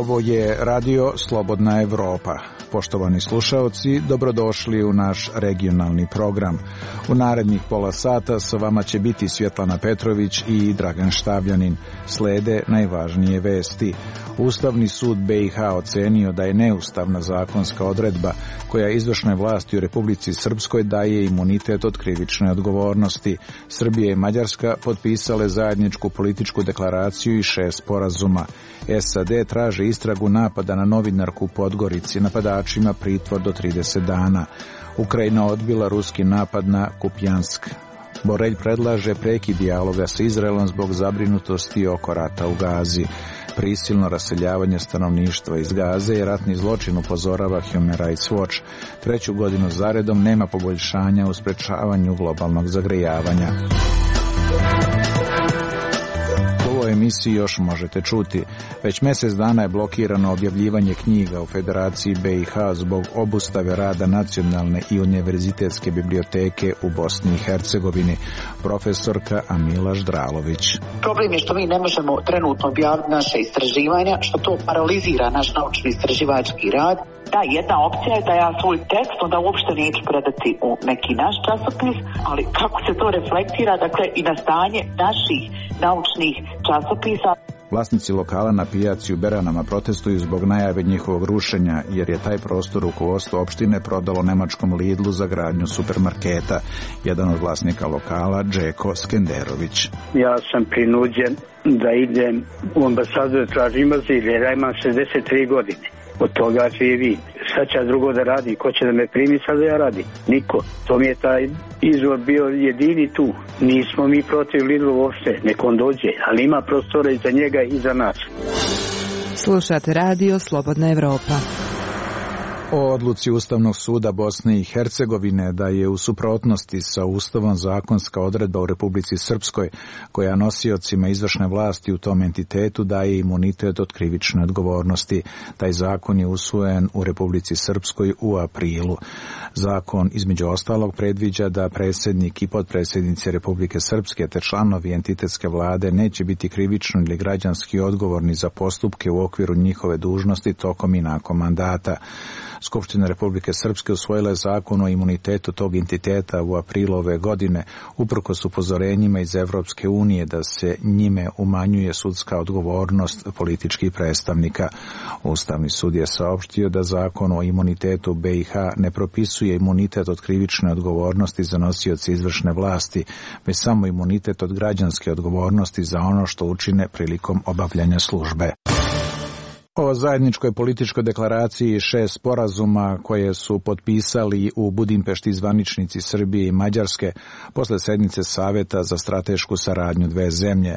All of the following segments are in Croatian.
Ovo je Radio Slobodna Evropa. Poštovani slušaoci, dobrodošli u naš regionalni program. U narednih pola sata sa vama će biti Svjetlana Petrović i Dragan Štavljanin. Slede najvažnije vesti. Ustavni sud BiH ocenio da je neustavna zakonska odredba koja izvršnoj vlasti u Republici Srpskoj daje imunitet od krivične odgovornosti. Srbija i Mađarska potpisale zajedničku političku deklaraciju i 6 sporazuma. SAD traže istragu napada na novinarku u Podgorici, napadačima pritvor do 30 dana. Ukrajina odbila ruski napad na Kupjansk. Borelj predlaže prekid dijaloga sa Izraelom zbog zabrinutosti oko rata u Gazi. Prisilno raseljavanje stanovništva iz Gaze je ratni zločin, upozorava Human Rights Watch. 3. godinu zaredom nema poboljšanja u sprečavanju globalnog zagrejavanja. U ovoj emisiji još možete čuti. Već mjesec dana je blokirano objavljivanje knjiga u Federaciji BiH zbog obustave rada nacionalne i univerzitetske biblioteke u Bosni i Hercegovini. Profesorka Amila Ždralović. Problem je što mi ne možemo trenutno objaviti naše istraživanja, što to paralizira naš naučno istraživački rad. Da, jedna opcija je da ja svoj tekst onda uopšte neću predati u neki naš časopis, ali kako se to reflektira, dakle, i na stanje naših naučnih časopisa. Vlasnici lokala na pijaci u Beranama protestuju zbog najave njihovog rušenja, jer je taj prostor rukovodstvo opštine prodalo nemačkom Lidlu za gradnju supermarketa. Jedan od vlasnika lokala, Džeko Skenderović. Ja sam prinuđen da idem u ambasadu da tražim azil, jer ja imam 63 godine. Od toga živi. Šta će drugo da radi? Ko će da me primi sad da ja radim? Niko. To mi je taj izvor bio jedini tu. Nismo mi protiv Lidlu uopšte. Nek on dođe. Ali ima prostora i za njega i za nas. Slušate Radio Slobodna Evropa. O odluci Ustavnog suda Bosne i Hercegovine da je u suprotnosti sa Ustavom zakonska odredba u Republici Srpskoj koja nosiocima izvršne vlasti u tom entitetu daje imunitet od krivične odgovornosti. Taj zakon je usvojen u Republici Srpskoj u aprilu. Zakon između ostalog predviđa da predsjednik i potpredsjednici Republike Srpske te članovi entitetske vlade neće biti krivično ili građanski odgovorni za postupke u okviru njihove dužnosti tokom i nakon mandata. Skupština Republike Srpske usvojila je zakon o imunitetu tog entiteta u aprilu ove godine, uprkos upozorenjima iz Evropske unije da se njime umanjuje sudska odgovornost političkih predstavnika. Ustavni sud je saopštio da zakon o imunitetu BiH ne propisuje imunitet od krivične odgovornosti za nosioce izvršne vlasti, već samo imunitet od građanske odgovornosti za ono što učine prilikom obavljanja službe. O zajedničkoj političkoj deklaraciji 6 sporazuma koje su potpisali u Budimpešti zvaničnici Srbije i Mađarske posle sednice Saveta za stratešku saradnju dve zemlje.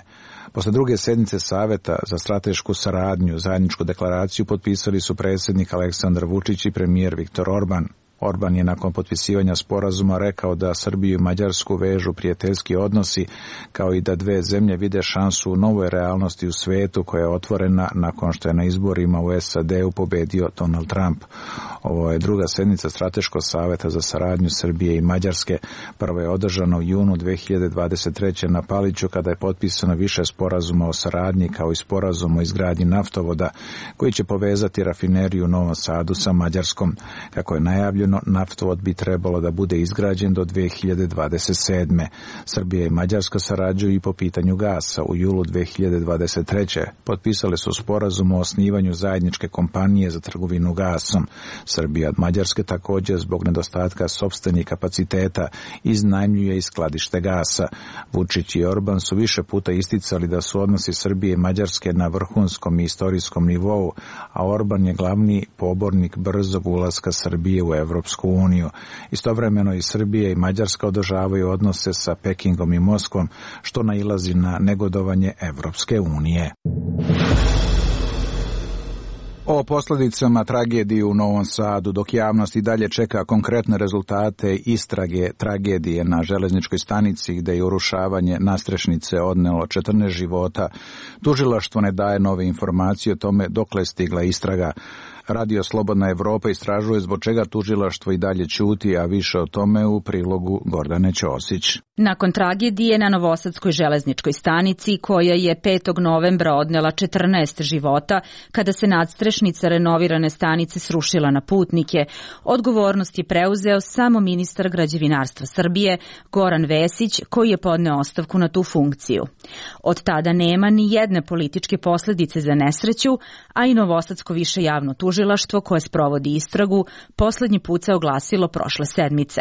Posle druge sednice Saveta za stratešku saradnju zajedničku deklaraciju potpisali su predsjednik Aleksandar Vučić i premijer Viktor Orban. Orban je nakon potpisivanja sporazuma rekao da Srbiju i Mađarsku vežu prijateljski odnosi, kao i da dve zemlje vide šansu u novoj realnosti u svetu koja je otvorena nakon što je na izborima u SAD-u pobedio Donald Trump. Ovo je druga sednica Strateškog saveta za saradnju Srbije i Mađarske. Prva je održana u junu 2023. na Paliću kada je potpisano više sporazuma o saradnji kao i sporazum o izgradnji naftovoda koji će povezati rafineriju u Novom Sadu sa Mađarskom. Kako je najavljeno, naftovod bi trebalo da bude izgrađen do 2027. Srbija i Mađarska sarađuju i po pitanju gasa. U julu 2023. potpisale su sporazum o osnivanju zajedničke kompanije za trgovinu gasom. Srbija od Mađarske također zbog nedostatka sopstvenih kapaciteta iznajmljuje i skladište gasa. Vučić i Orban su više puta isticali da su odnosi Srbije i Mađarske na vrhunskom i istorijskom nivou, a Orban je glavni pobornik brzog ulaska Srbije u Evropsku uniju. Istovremeno i Srbija i Mađarska održavaju odnose sa Pekingom i Moskvom, što nailazi na negodovanje Evropske unije. O posljedicama tragedije u Novom Sadu, dok javnost i dalje čeka konkretne rezultate istrage tragedije na železničkoj stanici gde je urušavanje nadstrešnice odnelo 14 života, tužilaštvo ne daje nove informacije o tome dokle je stigla istraga. Radio Slobodna Evropa istražuje zbog čega tužilaštvo i dalje ćuti, a više o tome u prilogu Gordane Ćosić. Nakon tragedije na Novosadskoj železničkoj stanici, koja je 5. novembra odnela 14 života, kada se nadstrešnica renovirane stanice srušila na putnike, odgovornost je preuzeo samo ministar građevinarstva Srbije, Goran Vesić, koji je podneo ostavku na tu funkciju. Od tada nema ni jedne političke posljedice za nesreću, a i Novosadsko više javno tužilaštvo, koje sprovodi istragu, poslednji put se oglasilo prošle sedmice.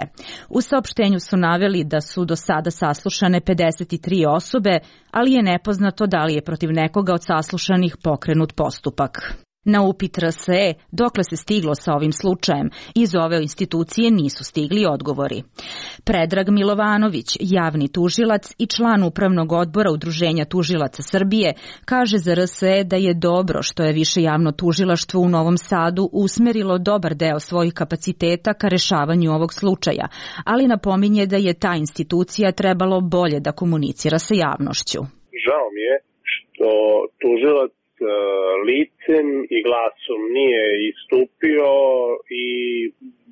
U saopštenju su naveli da su do sada saslušane 53 osobe, ali je nepoznato da li je protiv nekoga od saslušanih pokrenut postupak. Na upit RSE dokle se stiglo sa ovim slučajem, iz ove institucije nisu stigli odgovori. Predrag Milovanović, javni tužilac i član upravnog odbora Udruženja tužilaca Srbije, kaže za RSE da je dobro što je više javno tužilaštvo u Novom Sadu usmerilo dobar deo svojih kapaciteta ka rešavanju ovog slučaja, ali napominje da je ta institucija trebalo bolje da komunicira sa javnošću. Žao mi je što tužilac licem i glasom nije istupio i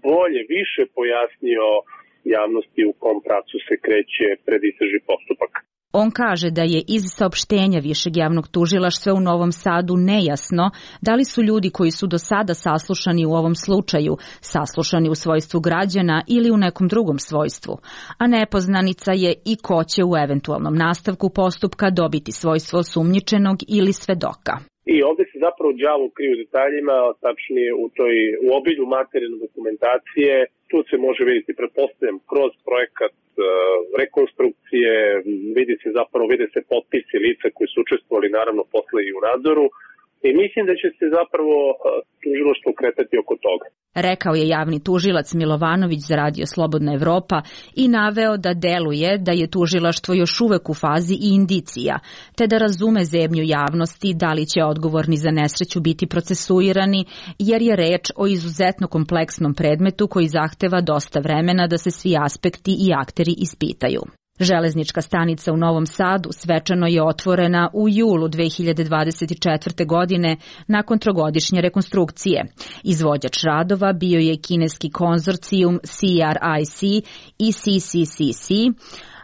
bolje više pojasnio javnosti u kom pravcu se kreće predistražni postupak. On kaže da je iz saopštenja Višeg javnog tužilaštva u Novom Sadu nejasno da li su ljudi koji su do sada saslušani u ovom slučaju saslušani u svojstvu građana ili u nekom drugom svojstvu, a nepoznanica je i ko će u eventualnom nastavku postupka dobiti svojstvo osumnjičenog ili svedoka. I ovdje se zapravo đavo krije u detaljima, tačnije u obilju materijalne dokumentacije. Tu se može vidjeti, pretpostavljam, kroz projekat rekonstrukcije, vide se potpisi lica koji su učestvovali naravno posle i u nadzoru. I mislim da će se zapravo tužilaštvo kretati oko toga. Rekao je javni tužilac Milovanović za Radio Slobodna Evropa i naveo da deluje da je tužilaštvo još uvek u fazi indicija, te da razume zebnju javnosti da li će odgovorni za nesreću biti procesuirani, jer je reč o izuzetno kompleksnom predmetu koji zahteva dosta vremena da se svi aspekti i akteri ispitaju. Železnička stanica u Novom Sadu svečano je otvorena u julu 2024. godine nakon trogodišnje rekonstrukcije. Izvođač radova bio je kineski konzorcijum CRIC i CCCC,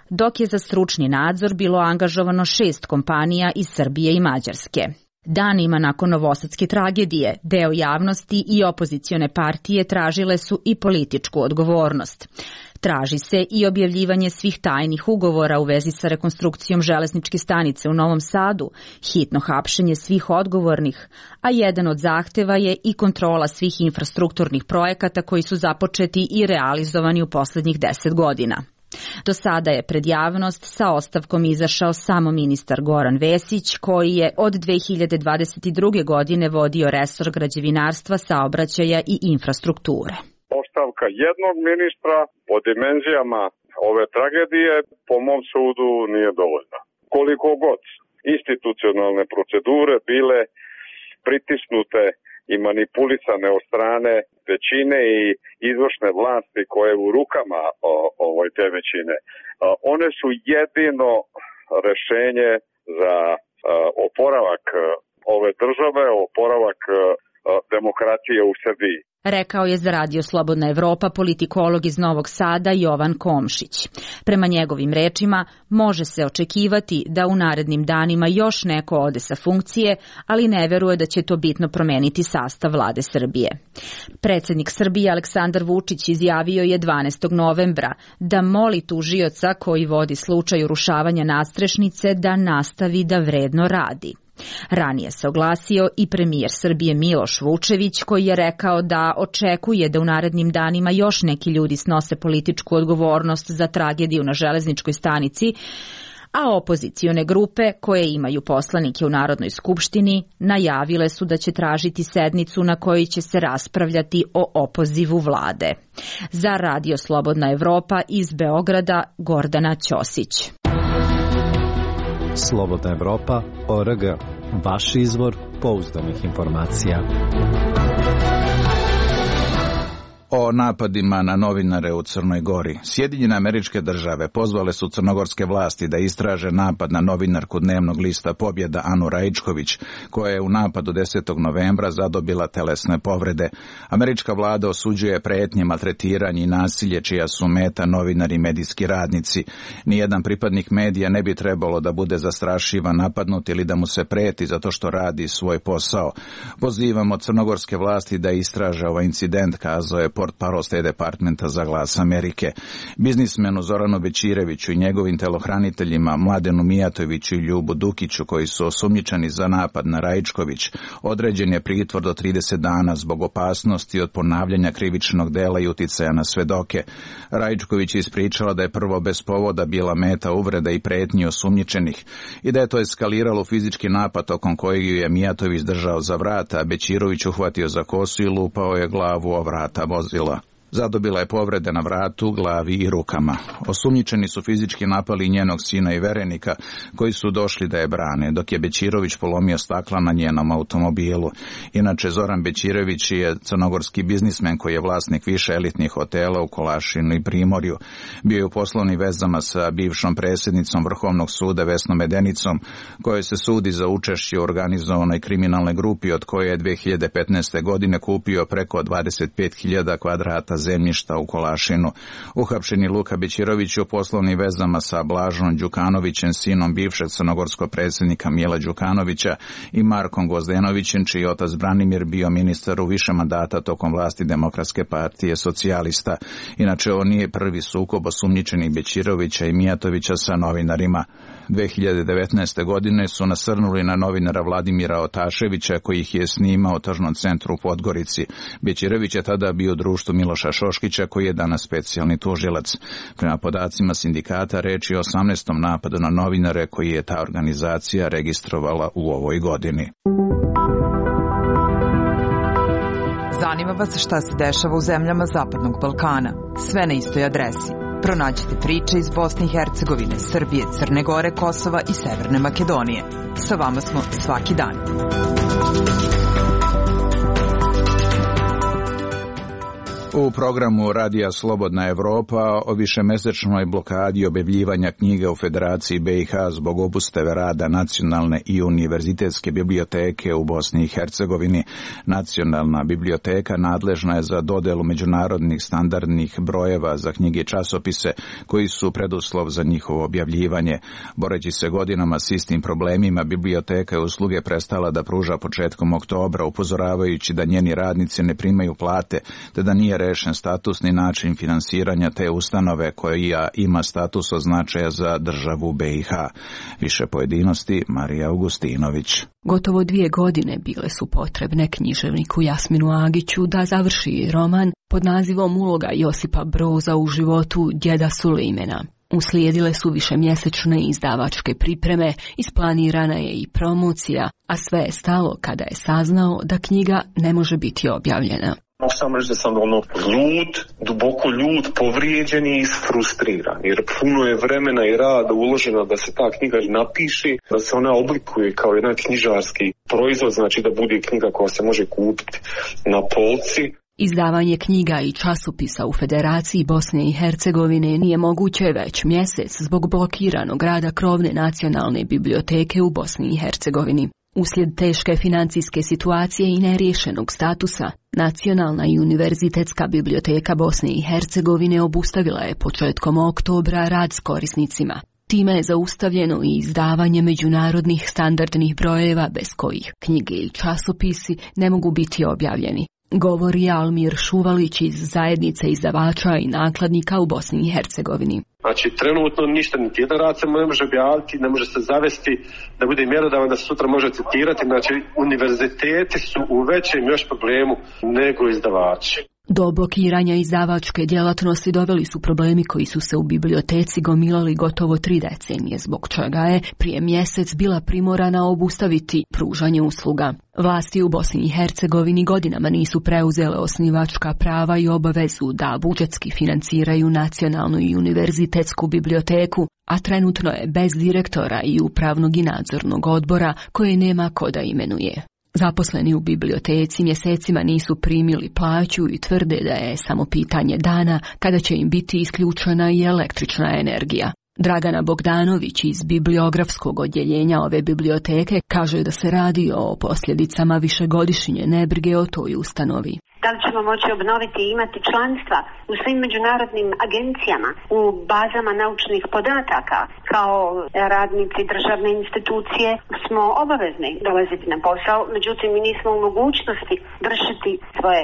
dok je za stručni nadzor bilo angažovano 6 kompanija iz Srbije i Mađarske. Danima nakon novosadske tragedije, deo javnosti i opozicione partije tražile su i političku odgovornost. Traži se i objavljivanje svih tajnih ugovora u vezi sa rekonstrukcijom železničke stanice u Novom Sadu, hitno hapšenje svih odgovornih, a jedan od zahteva je i kontrola svih infrastrukturnih projekata koji su započeti i realizovani u poslednjih 10 godina. Do sada je pred javnost sa ostavkom izašao samo ministar Goran Vesić, koji je od 2022. godine vodio resor građevinarstva, saobraćaja i infrastrukture. Ostavka jednog ministra po dimenzijama ove tragedije po mom sudu nije dovoljna. Koliko god institucionalne procedure bile pritisnute i manipulisane od strane većine i izvršne vlasti koje je u rukama te većine, one su jedino rešenje za oporavak ove države, oporavak demokratije u Srbiji. Rekao je za Radio Slobodna Evropa politikolog iz Novog Sada Jovan Komšić. Prema njegovim rečima, može se očekivati da u narednim danima još neko ode sa funkcije, ali ne veruje da će to bitno promeniti sastav vlade Srbije. Predsednik Srbije Aleksandar Vučić izjavio je 12. novembra da moli tužioca koji vodi slučaj urušavanja nadstrešnice da nastavi da vredno radi. Ranije se oglasio i premijer Srbije Miloš Vučević, koji je rekao da očekuje da u narednim danima još neki ljudi snose političku odgovornost za tragediju na železničkoj stanici, a opozicione grupe koje imaju poslanike u Narodnoj skupštini najavile su da će tražiti sednicu na kojoj će se raspravljati o opozivu vlade. Za Radio Slobodna Evropa iz Beograda, Gordana Ćosić. Slobodna Evropa.org, vaš izvor pouzdanih informacija. O napadima na novinare u Crnoj Gori. Sjedinjene Američke Države pozvale su crnogorske vlasti da istraže napad na novinarku dnevnog lista Pobjeda Anu Raičković, koja je u napadu 10. novembra zadobila telesne povrede. Američka vlada osuđuje pretnje, maltretiranje i nasilje čija su meta novinari i medijski radnici. Nijedan pripadnik medija ne bi trebalo da bude zastrašivan, napadnut ili da mu se preti zato što radi svoj posao. Pozivamo crnogorske vlasti da istraže ovaj incident, kazao je portparol State Departmenta za Glas Amerike. Biznismenu Zoranu Bećireviću i njegovim telohraniteljima Mladenu Mijatoviću i Ljubu Dukiću, koji su osumnjičeni za napad na Raičković, određen je pritvor do 30 dana zbog opasnosti od ponavljanja krivičnog dela i uticaja na svedoke. Raičković je ispričala da je prvo bez povoda bila meta uvreda i pretnji osumnjičenih i da je to eskaliralo u fizički napad tokom kojeg ju je Mijatović držao za vrata, a Bećirović uhvatio za kosu i lupao je glavu o vrata vozila. Zadobila je povrede na vratu, glavi i rukama. Osumnjičeni su fizički napali njenog sina i verenika, koji su došli da je brane, dok je Bećirović polomio stakla na njenom automobilu. Inače, Zoran Bećirević je crnogorski biznismen koji je vlasnik više elitnih hotela u Kolašinu i Primorju. Bio je u poslovnim vezama sa bivšom predsjednicom Vrhovnog suda Vesnom Medenicom, kojoj se sudi za učešće u organizovanoj kriminalnoj grupi, od koje je 2015. godine kupio preko 25.000 kvadrata zemljišta u Kolašinu. Uhapšeni Luka Bećirović u poslovnim vezama sa Blažom Đukanovićem, sinom bivšeg crnogorskog predsjednika Mila Đukanovića, i Markom Gvozdenovićem, čiji otac Branimir bio ministar u više mandata tokom vlasti Demokratske partije socijalista. Inače, ovo nije prvi sukob osumnjičenih Bećirovića i Mijatovića sa novinarima. 2019. godine su nasrnuli na novinara Vladimira Otaševića, koji ih je snimao u tržnom centru u Podgorici. Bećirović je tada bio u društvu Miloša Šoškića, koji je danas specijalni tužilac. Prema podacima sindikata, reč je o 18. napadu na novinare koji je ta organizacija registrovala u ovoj godini. Zanima vas šta se dešava u zemljama Zapadnog Balkana? Sve na istoj adresi. Pronađite priče iz Bosne i Hercegovine, Srbije, Crne Gore, Kosova i Severne Makedonije. Sa vama smo svaki dan. U programu Radija Slobodna Evropa o višemesečnoj blokadi objavljivanja knjiga u Federaciji BiH zbog obustave rada Nacionalne i univerzitetske biblioteke u Bosni i Hercegovini. Nacionalna biblioteka nadležna je za dodelu međunarodnih standardnih brojeva za knjige i časopise koji su preduslov za njihovo objavljivanje. Boreći se godinama s istim problemima, biblioteka je usluge prestala da pruža početkom oktobra, upozoravajući da njeni radnici ne primaju plate, te da nije rešen statusni način finansiranja te ustanove koja ima status od značaja za državu BiH. Više pojedinosti Marija Augustinović. Gotovo 2 godine bile su potrebne književniku Jasminu Agiću da završi roman pod nazivom Uloga Josipa Broza u životu djeda Sulejmana. Uslijedile su višemjesečne izdavačke pripreme, isplanirana je i promocija, a sve je stalo kada je saznao da knjiga ne može biti objavljena. Mogu samo reći da sam ljud, duboko ljud, povrijeđen i isfrustriran, jer puno je vremena i rada uloženo da se ta knjiga napiše, da se ona oblikuje kao jedan knjižarski proizvod, znači da bude knjiga koja se može kupiti na polci. Izdavanje knjiga i časopisa u Federaciji Bosne i Hercegovine nije moguće već mjesec zbog blokiranog rada krovne nacionalne biblioteke u Bosni i Hercegovini. Uslijed teške financijske situacije i neriješenog statusa, Nacionalna i univerzitetska biblioteka Bosne i Hercegovine obustavila je početkom oktobra rad s korisnicima. Time je zaustavljeno i izdavanje međunarodnih standardnih brojeva bez kojih knjige i časopisi ne mogu biti objavljeni, govori Almir Šuvalić iz zajednice izdavača i nakladnika u Bosni i Hercegovini. Znači, trenutno ništa, niti jedan rad se ne može objaviti, ne može se zavesti da bude mjerodavan da se sutra može citirati. Znači, univerziteti su u većem još problemu nego izdavači. Do blokiranja izdavačke djelatnosti doveli su problemi koji su se u biblioteci gomilali gotovo 3 decenije, zbog čega je prije mjesec bila primorana obustaviti pružanje usluga. Vlasti u Bosni i Hercegovini godinama nisu preuzele osnivačka prava i obavezu da budžetski financiraju Nacionalnu i univerzitetsku biblioteku, a trenutno je bez direktora i upravnog i nadzornog odbora koje nema ko da imenuje. Zaposleni u biblioteci mjesecima nisu primili plaću i tvrde da je samo pitanje dana kada će im biti isključena i električna energija. Dragana Bogdanović iz bibliografskog odjeljenja ove biblioteke kaže da se radi o posljedicama višegodišnje nebrige o toj ustanovi. Da li ćemo moći obnoviti i imati članstva u svim međunarodnim agencijama, u bazama naučnih podataka? Kao radnici državne institucije smo obavezni dolaziti na posao, međutim mi nismo u mogućnosti vršiti svoje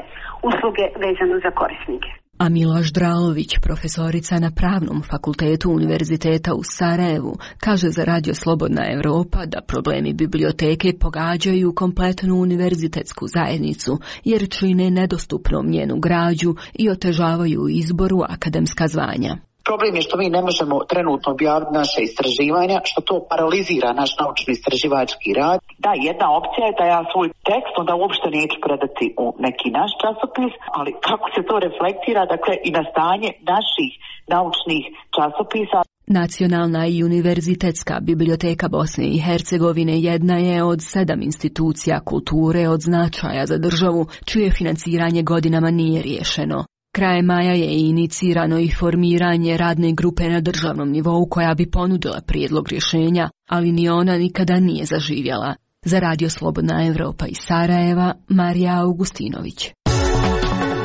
usluge vezano za korisnike. A Miloš Dralović, profesorica na Pravnom fakultetu Univerziteta u Sarajevu, kaže za Radio Slobodna Evropa da problemi biblioteke pogađaju kompletnu univerzitetsku zajednicu jer čine nedostupnom njenu građu i otežavaju izboru akademska zvanja. Problem je što mi ne možemo trenutno objaviti naše istraživanja, što to paralizira naš naučno istraživački rad. Da, jedna opcija je da ja svoj tekst onda uopšte neću predati u neki naš časopis, ali kako se to reflektira, dakle, i na stanje naših naučnih časopisa. Nacionalna i univerzitetska biblioteka Bosne i Hercegovine jedna je od 7 institucija kulture od značaja za državu, čije financiranje godinama nije riješeno. Krajem maja je inicirano i formiranje radne grupe na državnom nivou koja bi ponudila prijedlog rješenja, ali ni ona nikada nije zaživjela. Za Radio Slobodna Evropa iz Sarajeva, Marija Augustinović.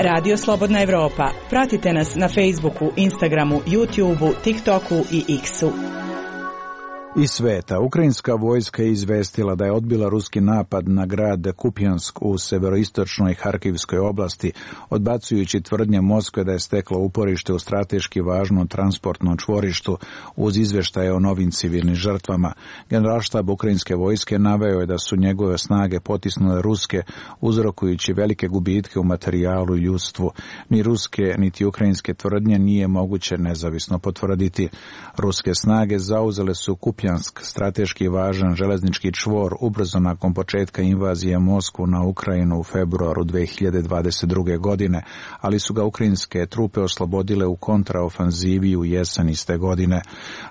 Radio Slobodna Evropa. Pratite nas na Facebooku, Instagramu, YouTubeu, TikToku i X-u. Iz sveta, ukrajinska vojska je izvestila da je odbila ruski napad na grad Kupjansk u severoistočnoj Harkivskoj oblasti, odbacujući tvrdnje Moskve da je stekla uporište u strateški važnom transportnom čvorištu uz izvještaje o novim civilnim žrtvama. Generalštab ukrajinske vojske naveo je da su njegove snage potisnule ruske, uzrokujući velike gubitke u materijalu i ljudstvu. Ni ruske, niti ukrajinske tvrdnje nije moguće nezavisno potvrditi. Ruske snage zauzele su Kupjansk, strateški važan železnički čvor, ubrzo nakon početka invazije Moskvu na Ukrajinu u februaru 2022. godine, ali su ga ukrajinske trupe oslobodile u kontraofanzivi u jesen iste godine.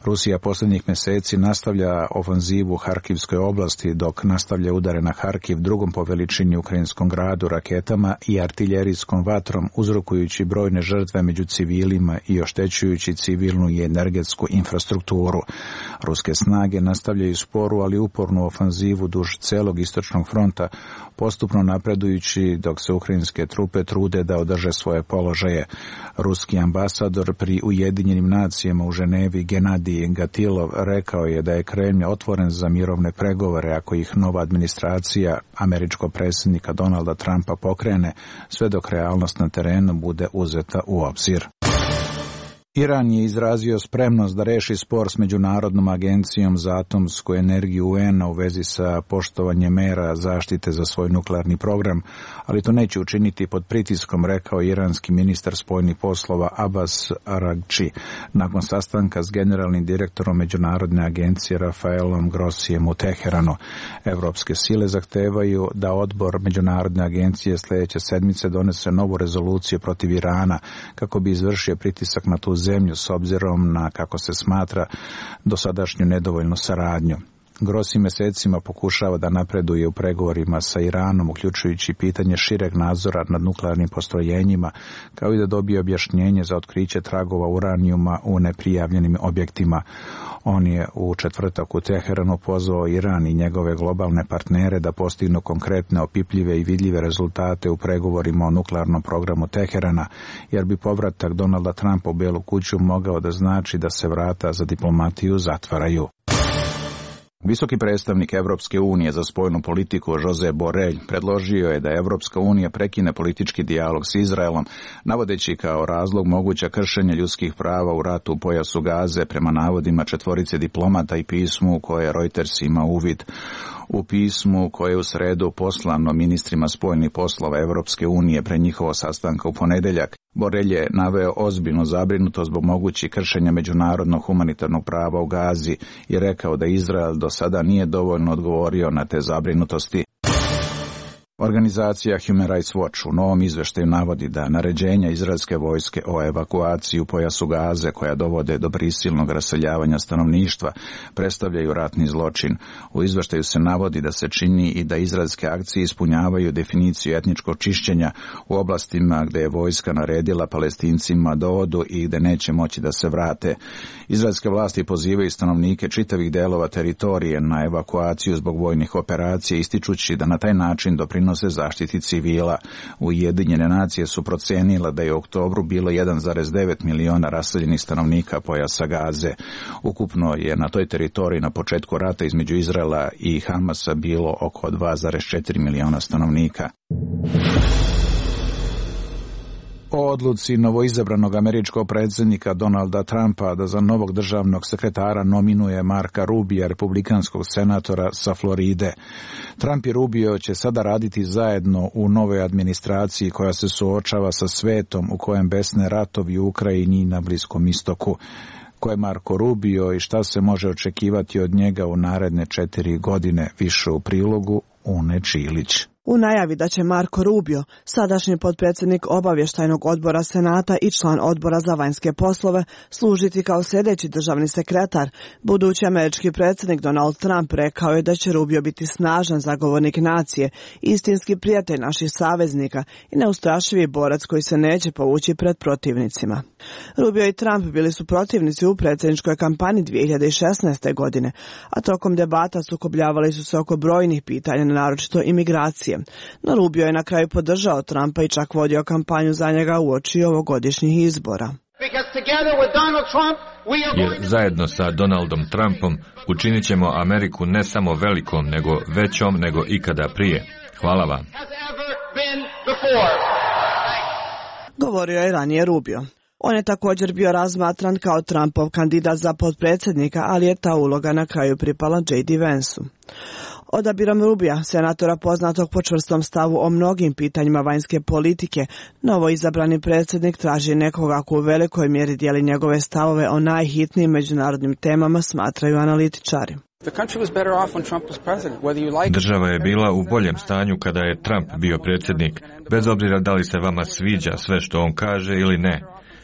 Rusija posljednjih mjeseci nastavlja ofanzivu u Harkivskoj oblasti, dok nastavlja udare na Harkiv, drugom po veličini ukrajinskom gradu, raketama i artiljerijskom vatrom, uzrokujući brojne žrtve među civilima i oštećujući civilnu i energetsku infrastrukturu. Ruske snage nastavljaju sporu, ali upornu ofanzivu duž celog istočnog fronta, postupno napredujući dok se ukrajinske trupe trude da održe svoje položaje. Ruski ambasador pri Ujedinjenim nacijama u Ženevi Genadij Gatilov rekao je da je Kremlj otvoren za mirovne pregovore ako ih nova administracija američkog predsjednika Donalda Trumpa pokrene, sve dok realnost na terenu bude uzeta u obzir. Iran je izrazio spremnost da reši spor s Međunarodnom agencijom za atomsku energiju UN-a u vezi sa poštovanjem mera zaštite za svoj nuklearni program, ali to neće učiniti pod pritiskom, rekao iranski ministar spoljnih poslova Abbas Araghči nakon sastanka s generalnim direktorom Međunarodne agencije Rafaelom Grossijem u Teheranu. Evropske sile zahtevaju da odbor Međunarodne agencije sljedeće sedmice donese novu rezoluciju protiv Irana kako bi izvršio pritisak na tu zemlju s obzirom na, kako se smatra, dosadašnju nedovoljnu saradnju. Grossi mjesecima pokušava da napreduje u pregovorima sa Iranom, uključujući pitanje šireg nadzora nad nuklearnim postrojenjima, kao i da dobije objašnjenje za otkriće tragova uranijuma u neprijavljenim objektima. On je u četvrtak u Teheranu pozvao Iran i njegove globalne partnere da postignu konkretne, opipljive i vidljive rezultate u pregovorima o nuklearnom programu Teherana, jer bi povratak Donalda Trumpa u Bijelu kuću mogao da znači da se vrata za diplomatiju zatvaraju. Visoki predstavnik Evropske unije za spoljnu politiku Josep Borrell predložio je da Evropska unija prekine politički dijalog s Izraelom, navodeći kao razlog moguća kršenja ljudskih prava u ratu u pojasu Gaze prema navodima 4 diplomata i pismu u koje Reuters ima uvid. U pismu koje je u sredu poslano ministrima spoljnih poslova Evropske unije pre njihovo sastanka u ponedjeljak, Borrell je naveo ozbiljnu zabrinutost zbog mogućih kršenja međunarodnog humanitarnog prava u Gazi i rekao da Izrael do sada nije dovoljno odgovorio na te zabrinutosti. Organizacija Human Rights Watch u novom izveštaju navodi da naređenja izraelske vojske o evakuaciji u pojasu Gaze, koja dovode do prisilnog raseljavanja stanovništva, predstavljaju ratni zločin. U izveštaju se navodi da se čini i da izraelske akcije ispunjavaju definiciju etničkog čišćenja u oblastima gde je vojska naredila Palestincima da odu i gde neće moći da se vrate. Izraelske vlasti pozivaju stanovnike čitavih delova teritorije na evakuaciju zbog vojnih operacija, ističući da na taj način doprinose zaštiti civila. Ujedinjene nacije su procenile da je u oktobru bilo 1,9 miliona raseljenih stanovnika pojasa Gaze. Ukupno je na toj teritoriji na početku rata između Izraela i Hamasa bilo oko 2,4 miliona stanovnika. O odluci novoizabranog američkog predsjednika Donalda Trumpa da za novog državnog sekretara nominuje Marka Rubija, republikanskog senatora sa Floride. Trump i Rubio će sada raditi zajedno u novoj administraciji koja se suočava sa svetom u kojem besne ratovi u Ukrajini i na Bliskom istoku. Ko je Marko Rubio i šta se može očekivati od njega u naredne 4 godine, više u prilogu Une Čilić. U najavi da će Marko Rubio, sadašnji potpredsjednik obavještajnog odbora Senata i član odbora za vanjske poslove, služiti kao sljedeći državni sekretar, budući američki predsjednik Donald Trump rekao je da će Rubio biti snažan zagovornik nacije, istinski prijatelj naših saveznika i neustrašivi borac koji se neće povući pred protivnicima. Rubio i Trump bili su protivnici u predsjedničkoj kampanji 2016. godine, a tokom debata sukobljavali su se oko brojnih pitanja, naročito imigracije. No Rubio je na kraju podržao Trumpa i čak vodio kampanju za njega uoči ovogodišnjih izbora. Jer zajedno sa Donaldom Trumpom učinit ćemo Ameriku ne samo velikom, nego većom nego ikada prije. Hvala vam. Govorio je ranije Rubio. On je također bio razmatran kao Trumpov kandidat za potpredsjednika, ali je ta uloga na kraju pripala J.D. Vansu. Odabirom Rubija, senatora poznatog po čvrstom stavu o mnogim pitanjima vanjske politike, novo izabrani predsjednik traži nekoga ko u velikoj mjeri dijeli njegove stavove o najhitnijim međunarodnim temama, smatraju analitičari. Država je bila u boljem stanju kada je Trump bio predsjednik, bez obzira da li se vama sviđa sve što on kaže ili ne.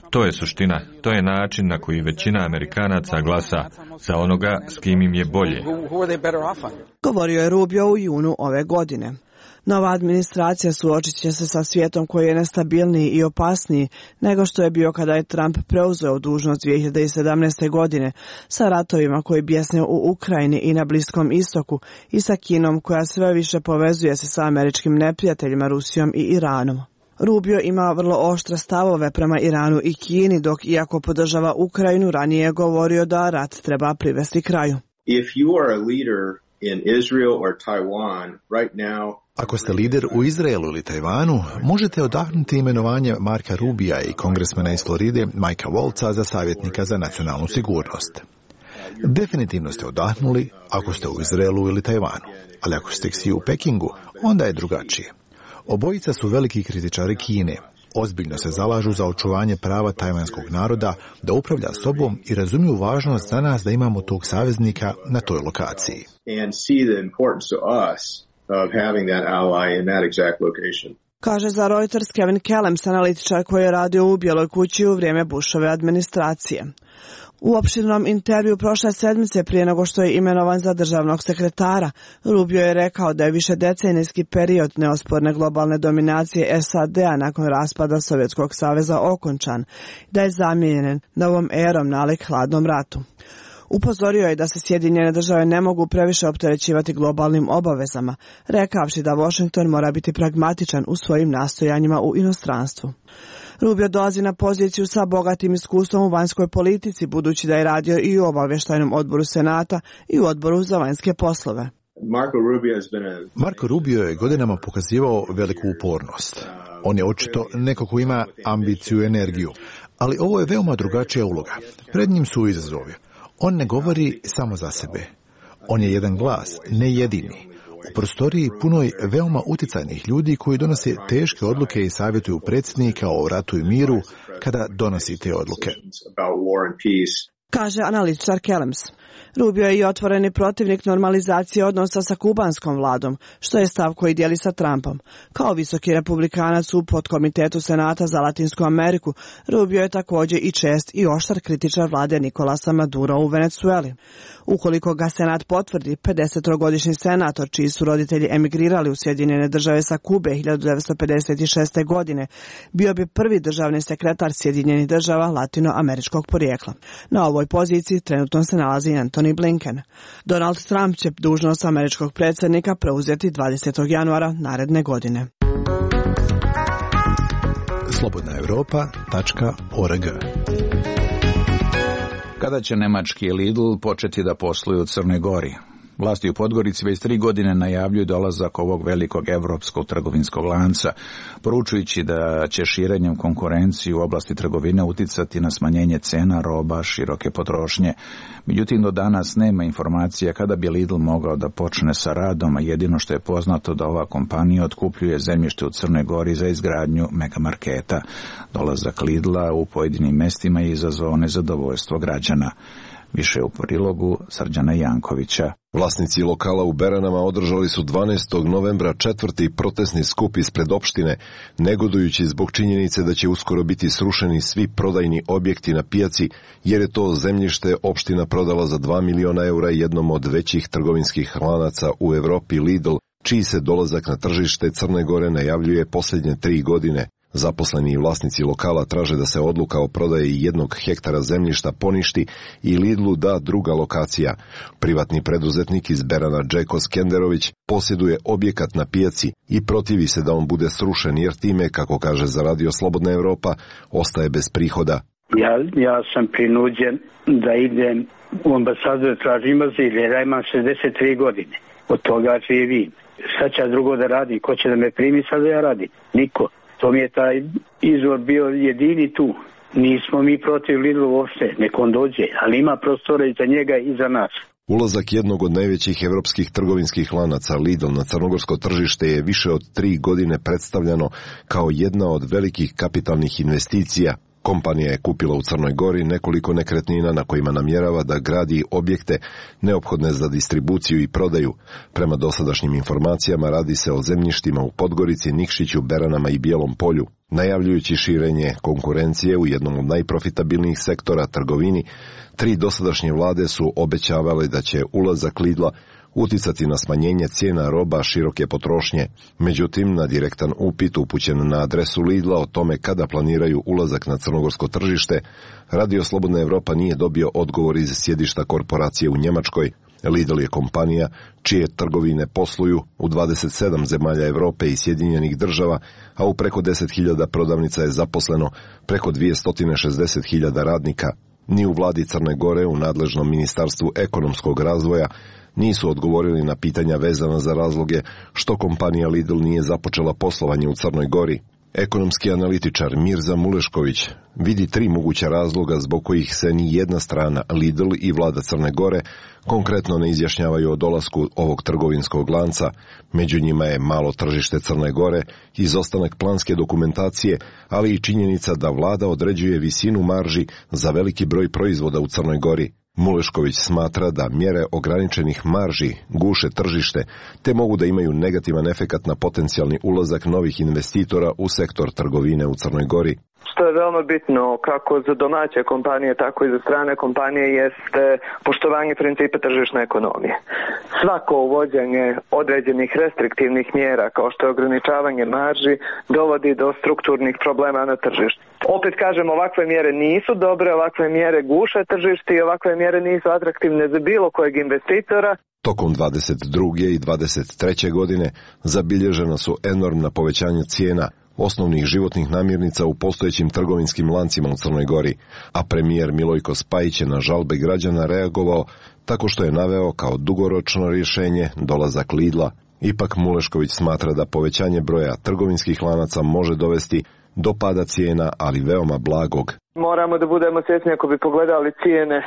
To je suština, to je način na koji većina Amerikanaca glasa za onoga s kim im je bolje. Govorio je Rubio u junu ove godine. Nova administracija suočit će se sa svijetom koji je nestabilniji i opasniji nego što je bio kada je Trump preuzeo dužnost 2017. godine, sa ratovima koji bjesne u Ukrajini i na Bliskom istoku i sa Kinom koja sve više povezuje se sa američkim neprijateljima Rusijom i Iranom. Rubio ima vrlo oštre stavove prema Iranu i Kini, dok iako podržava Ukrajinu, ranije je govorio da rat treba privesti kraju. Ako ste lider u Izraelu ili Tajvanu, možete odahnuti imenovanje Marka Rubija i kongresmena iz Floride Mikea Waltza za savjetnika za nacionalnu sigurnost. Definitivno ste odahnuli ako ste u Izraelu ili Tajvanu, ali ako ste svi u Pekingu, onda je drugačije. Obojica su veliki kritičari Kine. Ozbiljno se zalažu za očuvanje prava tajvanskog naroda da upravlja sobom i razumiju važnost za nas da imamo tog saveznika na toj lokaciji. Kaže za Reuters Kevin Kellams, analitičar koji je radio u Bijeloj kući u vrijeme Bushove administracije. U opširnom intervju prošle sedmice prije nego što je imenovan za državnog sekretara, Rubio je rekao da je višedecenijski period neosporne globalne dominacije SAD-a nakon raspada Sovjetskog saveza okončan, da je zamijenjen novom erom nalik hladnom ratu. Upozorio je da se Sjedinjene države ne mogu previše opterećivati globalnim obavezama, rekavši da Washington mora biti pragmatičan u svojim nastojanjima u inostranstvu. Rubio dolazi na poziciju sa bogatim iskustvom u vanjskoj politici, budući da je radio i u obavještajnom odboru Senata i u odboru za vanjske poslove. Marko Rubio je godinama pokazivao veliku upornost. On je očito neko ko ima ambiciju i energiju, ali ovo je veoma drugačija uloga. Pred njim su izazovi. On ne govori samo za sebe. On je jedan glas, ne jedini. U prostoriji punoj veoma utjecajnih ljudi koji donose teške odluke i savjetuju predsjednika o ratu i miru kada donosi te odluke. Kaže analitičar Kellams. Rubio je i otvoreni protivnik normalizacije odnosa sa kubanskom vladom, što je stav koji dijeli sa Trumpom. Kao visoki republikanac u podkomitetu Senata za Latinsku Ameriku, Rubio je također i čest i oštar kritičar vlade Nicolasa Madura u Venezueli. Ukoliko ga Senat potvrdi, 53-godišnji senator, čiji su roditelji emigrirali u Sjedinjene Države sa Kube 1956. godine, bio bi prvi državni sekretar Sjedinjenih Država latinoameričkog porijekla. Na ovoj poziciji trenutno se nalazi Antony Blinken. Donald Trump će dužnost američkog predsjednika preuzeti 20. januara naredne godine. slobodnaevropa.org. Kada će nemački Lidl početi da posluju u Crnoj Gori? Vlasti u Podgorici već 3 godine najavljuju dolazak ovog velikog evropskog trgovinskog lanca, poručujući da će širenjem konkurencije u oblasti trgovine uticati na smanjenje cena roba široke potrošnje. Međutim, do danas nema informacija kada bi Lidl mogao da počne sa radom, a jedino što je poznato da ova kompanija otkupljuje zemljište u Crnoj Gori za izgradnju megamarketa. Dolazak Lidla u pojedinim mestima je izazvao nezadovoljstvo građana. Više u prilogu Srđana Jankovića. Vlasnici lokala u Beranama održali su 12. novembra 4. protestni skup ispred opštine, negodujući zbog činjenice da će uskoro biti srušeni svi prodajni objekti na pijaci, jer je to zemljište opština prodala za 2 miliona eura jednom od većih trgovinskih lanaca u Evropi, Lidl, čiji se dolazak na tržište Crne Gore najavljuje posljednje 3 godine. Zaposleni i vlasnici lokala traže da se odluka o prodaji 1 hektara zemljišta poništi i Lidlu da druga lokacija. Privatni preduzetnik iz Berana Džeko Skenderović posjeduje objekat na pijaci i protivi se da on bude srušen jer time, kako kaže za Radio Slobodna Evropa, ostaje bez prihoda. Ja sam prinuđen da idem u ambasadu da tražim azil jer ja imam 63 godine. Od toga živim. Šta će drugo da radim? Ko će da me primi sad da ja radim? Niko. To mi je taj izvor bio jedini tu. Nismo mi protiv Lidla uopšte, nek on dođe, ali ima prostora i za njega i za nas. Ulazak jednog od najvećih evropskih trgovinskih lanaca Lidl na crnogorsko tržište je više od 3 godine predstavljano kao jedna od velikih kapitalnih investicija. Kompanija je kupila u Crnoj Gori nekoliko nekretnina na kojima namjerava da gradi objekte neophodne za distribuciju i prodaju. Prema dosadašnjim informacijama radi se o zemljištima u Podgorici, Nikšiću, Beranama i Bijelom polju. Najavljujući širenje konkurencije u jednom od najprofitabilnijih sektora trgovini, 3 dosadašnje vlade su obećavale da će ulazak Lidla uticati na smanjenje cijena roba široke potrošnje. Međutim, na direktan upit upućen na adresu Lidla o tome kada planiraju ulazak na crnogorsko tržište, Radio Slobodna Evropa nije dobio odgovor iz sjedišta korporacije u Njemačkoj. Lidl je kompanija čije trgovine posluju u 27 zemalja Evrope i Sjedinjenih Država, a u preko 10.000 prodavnica je zaposleno preko 260.000 radnika. Ni u vladi Crne Gore, u nadležnom ministarstvu ekonomskog razvoja, nisu odgovorili na pitanja vezana za razloge što kompanija Lidl nije započela poslovanje u Crnoj Gori. Ekonomski analitičar Mirza Mulešković vidi 3 moguća razloga zbog kojih se ni jedna strana, Lidl i vlada Crne Gore, konkretno ne izjašnjavaju o dolasku ovog trgovinskog lanca. Među njima je malo tržište Crne Gore, izostanak planske dokumentacije, ali i činjenica da vlada određuje visinu marži za veliki broj proizvoda u Crnoj Gori. Mulešković smatra da mjere ograničenih marži guše tržište, te mogu da imaju negativan efekat na potencijalni ulazak novih investitora u sektor trgovine u Crnoj Gori. Što je veoma bitno kako za domaće kompanije, tako i za strane kompanije jeste poštovanje principa tržišne ekonomije. Svako uvođenje određenih restriktivnih mjera, kao što je ograničavanje marži, dovodi do strukturnih problema na tržištu. Opet kažem, ovakve mjere nisu dobre, ovakve mjere guše tržište i ovakve mjere nisu atraktivne za bilo kojeg investitora. Tokom 22. i 23. godine zabilježena su enormna povećanja cijena osnovnih životnih namirnica u postojećim trgovinskim lancima u Crnoj Gori, a premijer Milojko Spajić je na žalbe građana reagovao tako što je naveo kao dugoročno rješenje dolazak Lidla. Ipak Mulešković smatra da povećanje broja trgovinskih lanaca može dovesti do pada cijena, ali veoma blagog. Moramo da budemo svjesni ako bi pogledali cijene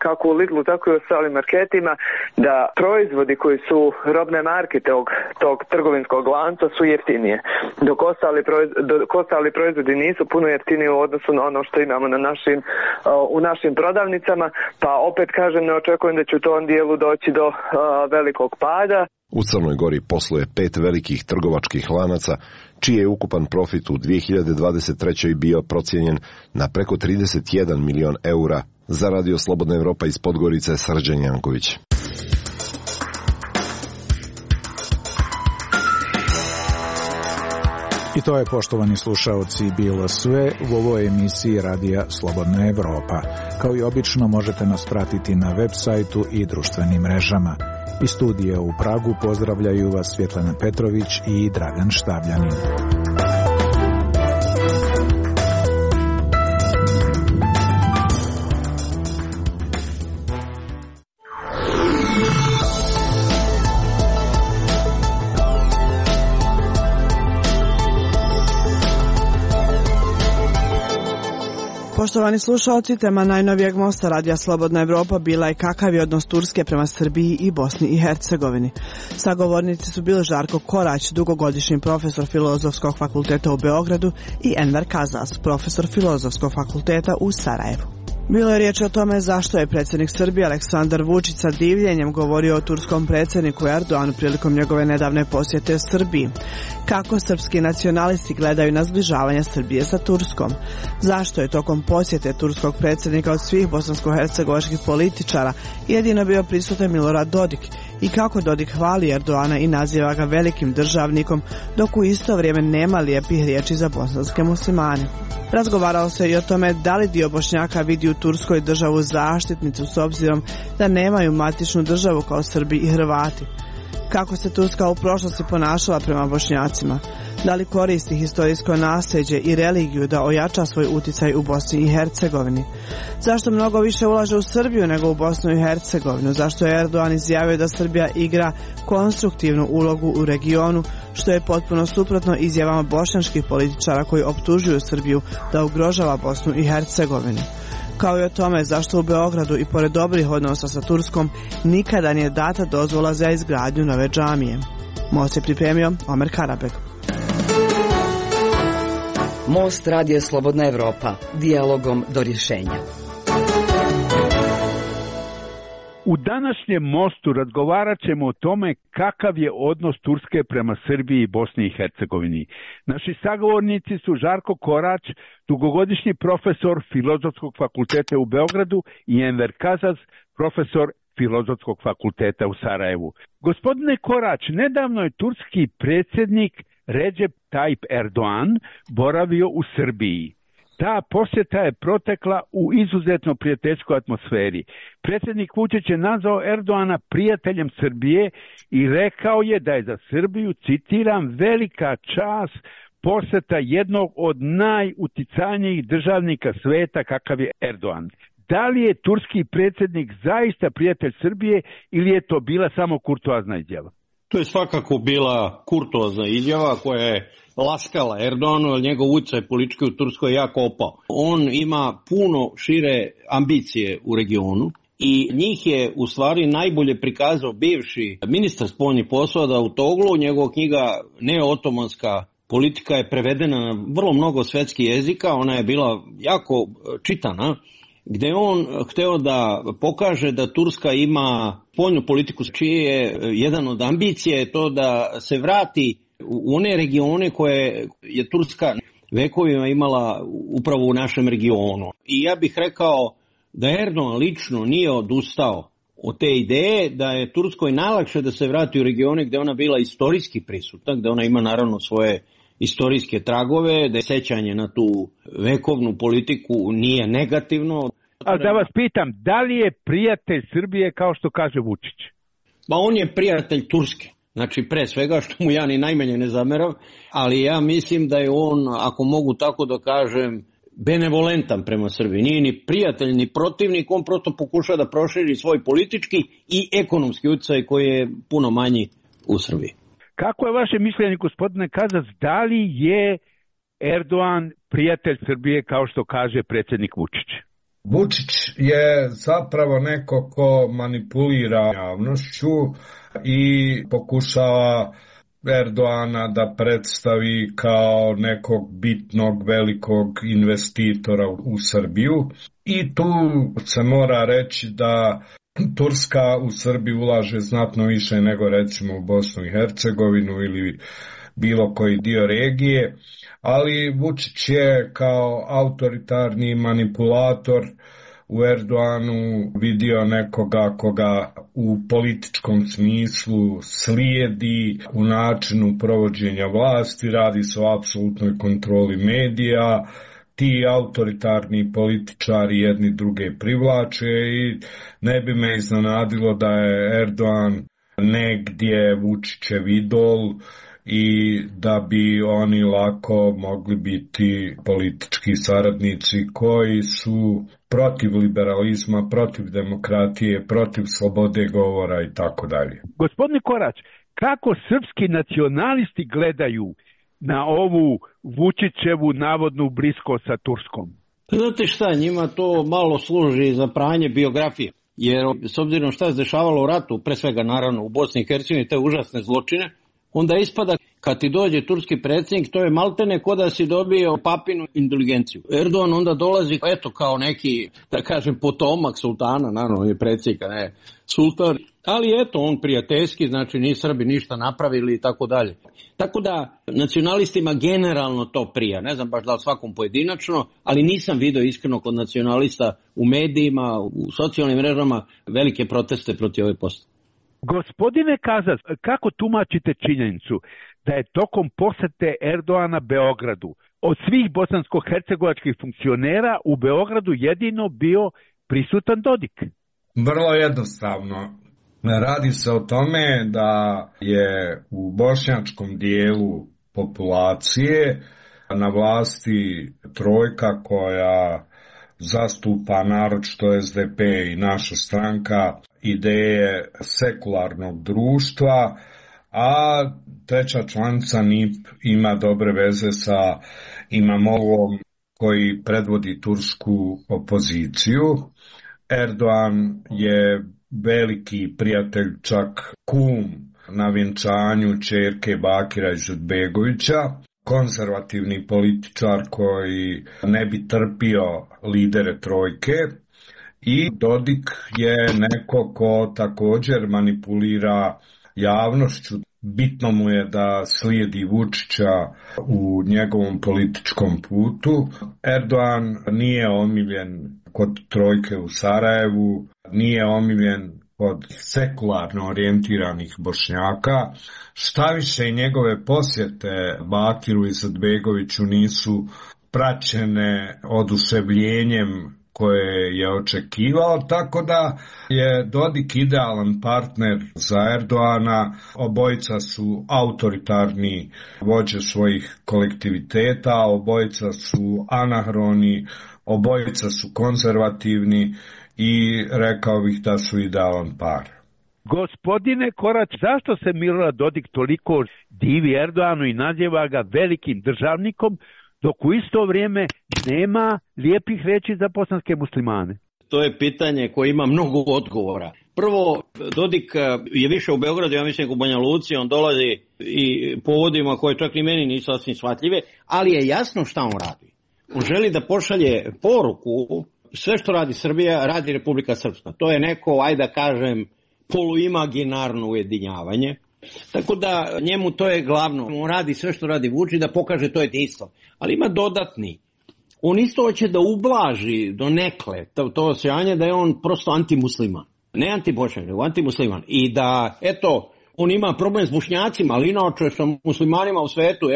kako u Lidlu, tako i u ostalim marketima, da proizvodi koji su robne marke tog trgovinskog lanca su jeftinije, dok ostali proizvodi nisu puno jeftiniji u odnosu na ono što imamo u našim prodavnicama, pa opet kažem, ne očekujem da će u tom dijelu doći do velikog pada. U Crnoj Gori posluje 5 velikih trgovačkih lanaca, čiji je ukupan profit u 2023. bio procijenjen na preko 31 milion eura. Za Radio Slobodna Evropa iz Podgorice, Srđan Janković. I to je, poštovani slušaoci, bilo sve u ovoj emisiji Radija Slobodna Evropa. Kao i obično, možete nas pratiti na web sajtu i društvenim mrežama. Iz studija u Pragu pozdravljaju vas Svjetlana Petrović i Dragan Štavljanin. Poštovani slušalci, tema najnovijeg mosta Radija Slobodna Evropa bila je kakav je odnos Turske prema Srbiji i Bosni i Hercegovini. Sagovornici su bili Žarko Korać, dugogodišnji profesor Filozofskog fakulteta u Beogradu, i Enver Kazas, profesor Filozofskog fakulteta u Sarajevu. Bilo je riječ o tome zašto je predsjednik Srbije Aleksandar Vučić sa divljenjem govorio o turskom predsjedniku Erdoanu prilikom njegove nedavne posjete Srbiji. Kako srpski nacionalisti gledaju na zbližavanje Srbije sa Turskom? Zašto je tokom posjete turskog predsjednika od svih bosansko-hercegovačkih političara jedino bio prisutan Milorad Dodik? I kako Dodik hvali Erdoana i naziva ga velikim državnikom, dok u isto vrijeme nema lijepih riječi za bosanske muslimane? Razgovaralo se i o tome da li dio Bošnjaka vidi u Turskoj državu zaštitnicu s obzirom da nemaju matičnu državu kao Srbi i Hrvati. Kako se Turska u prošlosti ponašala prema Bošnjacima? Da li koristi historijsko nasljeđe i religiju da ojača svoj uticaj u Bosni i Hercegovini? Zašto mnogo više ulaže u Srbiju nego u Bosnu i Hercegovinu? Zašto je Erdogan izjavio da Srbija igra konstruktivnu ulogu u regionu, što je potpuno suprotno izjavama bošnjačkih političara koji optužuju Srbiju da ugrožava Bosnu i Hercegovinu? Kao i o tome zašto u Beogradu i pored dobrih odnosa sa Turskom nikada nije data dozvola za izgradnju nove džamije. Most je pripremio Omer Karabeg. Most Radija Slobodna Evropa, dijalogom do rješenja. U današnjem mostu razgovarat ćemo o tome kakav je odnos Turske prema Srbiji i Bosni i Hercegovini. Naši sagovornici su Žarko Korać, dugogodišnji profesor Filozofskog fakulteta u Beogradu, i Enver Kazas, profesor Filozofskog fakulteta u Sarajevu. Gospodine Korać, nedavno je turski predsjednik Recep Tayyip Erdoğan boravio u Srbiji. Ta posjeta je protekla u izuzetno prijateljskoj atmosferi. Predsjednik Vučić je nazvao Erdoana prijateljem Srbije i rekao je da je za Srbiju, citiram, velika čast posjeta jednog od najuticajnijih državnika sveta kakav je Erdogan. Da li je turski predsjednik zaista prijatelj Srbije ili je to bila samo kurtoazna izjava? To je svakako bila kurtoazna izjava koja je laskala Erdoganu, jer njegov utjecaj politički u Turskoj je jako opao. On ima puno šire ambicije u regionu i njih je u stvari najbolje prikazao bivši ministar spoljnih poslova Davutoglu. Njegova knjiga Neootomanska politika je prevedena na vrlo mnogo svetskih jezika, ona je bila jako čitana, gdje on hteo da pokaže da Turska ima spoljnu politiku, čije je jedan od ambicija je to da se vrati u one regione koje je Turska vekovima imala upravo u našem regionu. I ja bih rekao da Erdogan lično nije odustao od te ideje, da je Turskoj najlakše da se vrati u regione gdje ona bila istorijski prisutna, gdje ona ima naravno svoje istorijske tragove, da je sećanje na tu vekovnu politiku nije negativno. A da vas pitam, da li je prijatelj Srbije kao što kaže Vučić? Pa on je prijatelj Turske. Znači, pre svega, što mu ja ni najmanje ne zameram, ali ja mislim da je on, ako mogu tako da kažem, benevolentan prema Srbiji. Nije ni prijatelj, ni protivnik, on prosto pokuša da proširi svoj politički i ekonomski utjecaj koji je puno manji u Srbiji. Kako je vaše mišljenje, gospodine Kazas, da li je Erdogan prijatelj Srbije, kao što kaže predsjednik Vučić? Vučić je zapravo neko ko manipulira javnošću i pokušava Erdoana da predstavi kao nekog bitnog, velikog investitora u Srbiju. I tu se mora reći da Turska u Srbiji ulaže znatno više nego recimo u Bosnu i Hercegovinu ili bilo koji dio regije, ali Vučić je kao autoritarni manipulator u Erdoanu vidio nekoga koga u političkom smislu slijedi u načinu provođenja vlasti, radi se o apsolutnoj kontroli medija, ti autoritarni političari jedni druge privlače i ne bi me iznenadilo da je Erdogan negdje Vučićev idol i da bi oni lako mogli biti politički saradnici koji su protiv liberalizma, protiv demokratije, protiv slobode govora i tako dalje. Gospodine Korać, kako srpski nacionalisti gledaju na ovu Vučićevu navodnu bliskost sa Turskom? Znate šta, njima to malo služi za pranje biografije, jer s obzirom šta se dešavalo u ratu, pre svega naravno u Bosni i Hercegovini, te užasne zločine, onda ispada kad ti dođe turski predsjednik, to je maltene ko da si dobio papinu inteligenciju. Erdogan onda dolazi, eto, kao neki, da kažem, potomak sultana, naravno je predsjednika, ne sultan, ali eto, on prijateljski, znači ni Srbi ništa napravili i tako dalje. Tako da nacionalistima generalno to prija, ne znam baš da li svakom pojedinačno, ali nisam vidio iskreno kod nacionalista u medijima, u socijalnim mrežama velike proteste protiv ove postave. Gospodine Kazas, kako tumačite činjenicu da je tokom posete Erdoana Beogradu od svih bosansko-hercegovačkih funkcionera u Beogradu jedino bio prisutan Dodik? Vrlo jednostavno. Radi se o tome da je u bošnjačkom dijelu populacije na vlasti trojka koja zastupa naročito SDP i naša stranka ideje sekularnog društva, a treća članica NIP ima dobre veze sa Imamogom koji predvodi tursku opoziciju. Erdogan je veliki prijatelj, čak kum na vjenčanju ćerke Bakira Izetbegovića, konzervativni političar koji ne bi trpio lidere trojke, i Dodik je neko ko također manipulira javnošću. Bitno mu je da slijedi Vučića u njegovom političkom putu. Erdogan nije omiljen kod trojke u Sarajevu, nije omiljen kod sekularno orijentiranih Bošnjaka. Štaviše njegove posjete Bakiru Izetbegoviću nisu praćene oduševljenjem koje je očekivao, tako da je Dodik idealan partner za Erdoana. Obojica su autoritarni vođe svojih kolektiviteta, obojica su anahroni, obojica su konzervativni i rekao bih da su idealan par. Gospodine Korać, zašto se Milorad Dodik toliko divi Erdoanu i naziva ga velikim državnikom, dok u isto vrijeme nema lijepih reči za bosanske muslimane? To je pitanje koje ima mnogo odgovora. Prvo, Dodik je više u Beogradu, ja mislim u Banja Luci, on dolazi i povodima koje čak ni meni nisu sasvim shvatljive, ali je jasno šta on radi. On želi da pošalje poruku, sve što radi Srbija, radi Republika Srpska. To je neko, ajde da kažem, poluimaginarno ujedinjavanje. Tako da njemu to je glavno. On radi sve što radi Vučić da pokaže to jedinstvo. Ali ima dodatni. On isto hoće da ublaži do nekle to osjećanje da je on prosto antimusliman. Ne antibošnjak, nego antimusliman. I da, eto, on ima problem s Bošnjacima, ali inače sa muslimanima u svetu,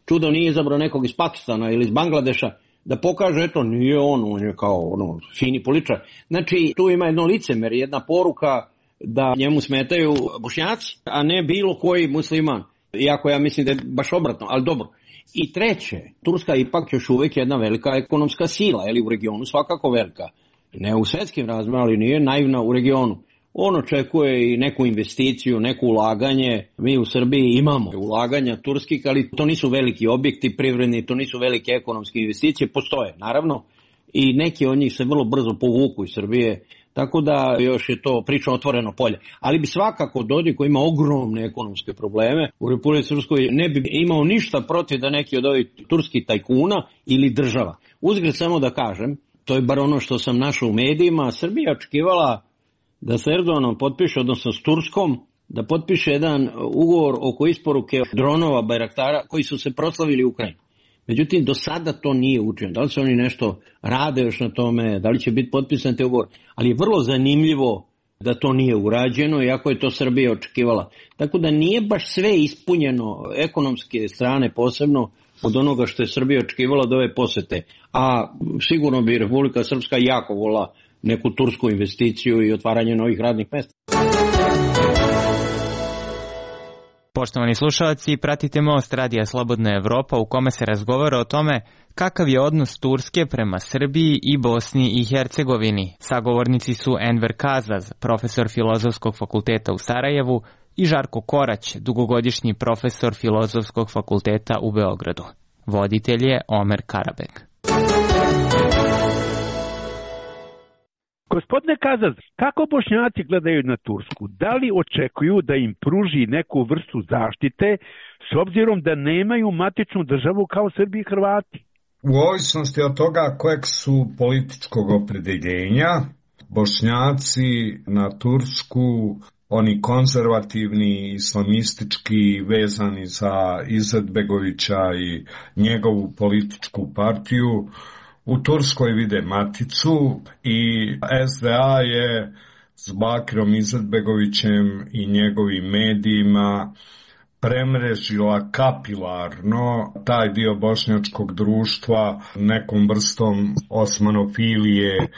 čudo nije izabrao nekog iz Pakistana ili iz Bangladeša, da pokaže, eto, nije on je kao fini političar. Znači, tu ima jedno licemerje, jedna poruka da njemu smetaju Bošnjaci, a ne bilo koji musliman. Iako ja mislim da je baš obratno, ali dobro. I treće, Turska ipak još uvijek jedna velika ekonomska sila, u regionu svakako velika. Ne u svjetskim razmjerima, ali nije naivna u regionu. on očekuje i neku investiciju, neko ulaganje. Mi u Srbiji imamo ulaganja turskih, ali to nisu veliki objekti privredni, to nisu velike ekonomske investicije, postoje naravno i neki od njih se vrlo brzo povuku iz Srbije, tako da još je to priča otvoreno polje. Ali bi svakako Dodik koji ima ogromne ekonomske probleme u Republici Srpskoj ne bi imao ništa protiv da neki od ovih turskih tajkuna ili država. Uzgred samo da kažem, to je bar ono što sam našao u medijima, Srbija očekivala da se Erdoganom potpiše, odnosno s Turskom, da potpiše jedan ugovor oko isporuke dronova Bajraktara koji su se proslavili u Ukrajini. Međutim, do sada to nije učinjeno. Da li se oni nešto rade još na tome, da li će biti potpisan te ugovor, ali je vrlo zanimljivo da to nije urađeno, iako je to Srbija očekivala. Tako da nije baš sve ispunjeno ekonomske strane, posebno od onoga što je Srbija očekivala od ove posete. A sigurno bi Republika Srpska jako volila neku tursku investiciju i otvaranje novih radnih mesta. Poštovani slušalci, pratite Most Radija Slobodna Evropa u kome se razgovara o tome kakav je odnos Turske prema Srbiji i Bosni i Hercegovini. Sagovornici su Enver Kazaz, profesor Filozofskog fakulteta u Sarajevu, i Žarko Korać, dugogodišnji profesor Filozofskog fakulteta u Beogradu. Voditelj je Omer Karabek. Gospodine Kazaz, kako Bošnjaci gledaju na Tursku? Da li očekuju da im pruži neku vrstu zaštite s obzirom da nemaju matičnu državu kao Srbi i Hrvati? U ovisnosti od toga kojeg su političkog opredeljenja, Bošnjaci na Tursku, oni konzervativni, islamistički, vezani za Izetbegovića i njegovu političku partiju, u Turskoj vide maticu i SDA je s Bakirom Izetbegovićem i njegovim medijima premrežila kapilarno taj dio bošnjačkog društva nekom vrstom osmanofilije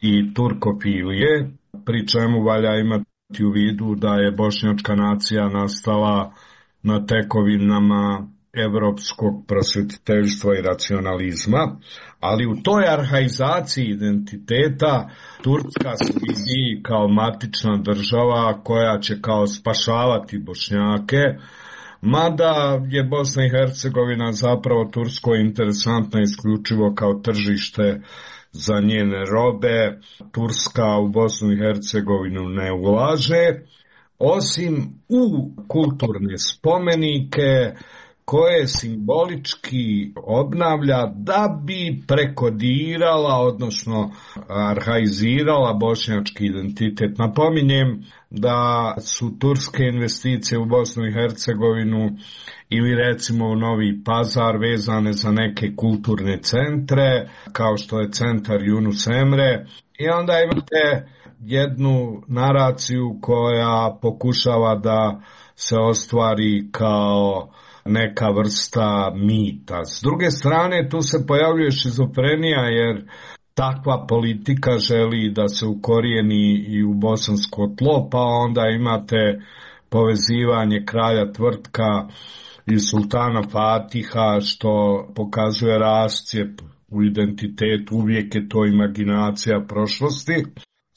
i turkofilije, pri čemu valja imati u vidu da je bošnjačka nacija nastala na tekovinama evropskog prosvetiteljstva i racionalizma, ali u toj arhaizaciji identiteta Turska se vidi kao matična država koja će kao spašavati Bošnjake, mada je Bosna i Hercegovina zapravo Turskoj interesantna isključivo kao tržište za njene robe. Turska u Bosnu i Hercegovinu ne ulaže, osim u kulturne spomenike koje simbolički obnavlja da bi prekodirala, odnosno arhaizirala bošnjački identitet. Napominjem da su turske investicije u Bosnu i Hercegovinu ili recimo u Novi Pazar vezane za neke kulturne centre, kao što je centar Yunus Emre, i onda imate jednu naraciju koja pokušava da se ostvari kao neka vrsta mita. S druge strane, tu se pojavljuje šizofrenija, jer takva politika želi da se ukorijeni i u bosansko tlo, pa onda imate povezivanje kralja Tvrtka i sultana Fatiha, što pokazuje rascijep u identitetu, uvijek je to imaginacija prošlosti.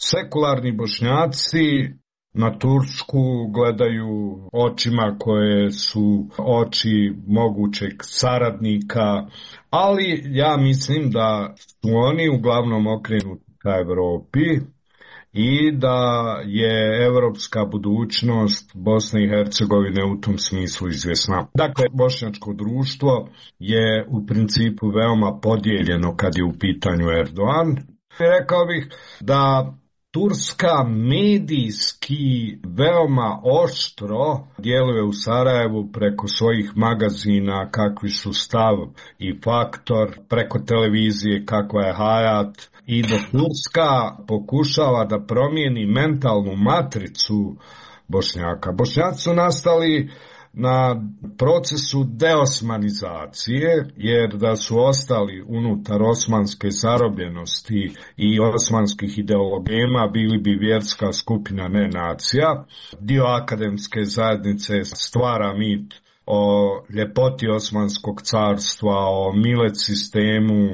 Sekularni Bošnjaci na Tursku gledaju očima koje su oči mogućeg saradnika, ali ja mislim da su oni uglavnom okrenuti ka Evropi i da je evropska budućnost Bosne i Hercegovine u tom smislu izvjesna. Dakle, bošnjačko društvo je u principu veoma podijeljeno kad je u pitanju Erdogan. Rekao bih da Turska medijski veoma oštro djeluje u Sarajevu preko svojih magazina kakvi su Stav i Faktor, preko televizije kakva je Hayat, i da Turska pokušava da promijeni mentalnu matricu Bošnjaka. Bošnjaci su nastali na procesu deosmanizacije, jer da su ostali unutar osmanske zarobljenosti i osmanskih ideologema, bili bi vjerska skupina, ne nacija. Dio akademske zajednice stvara mit o ljepoti Osmanskog carstva, o milet sistemu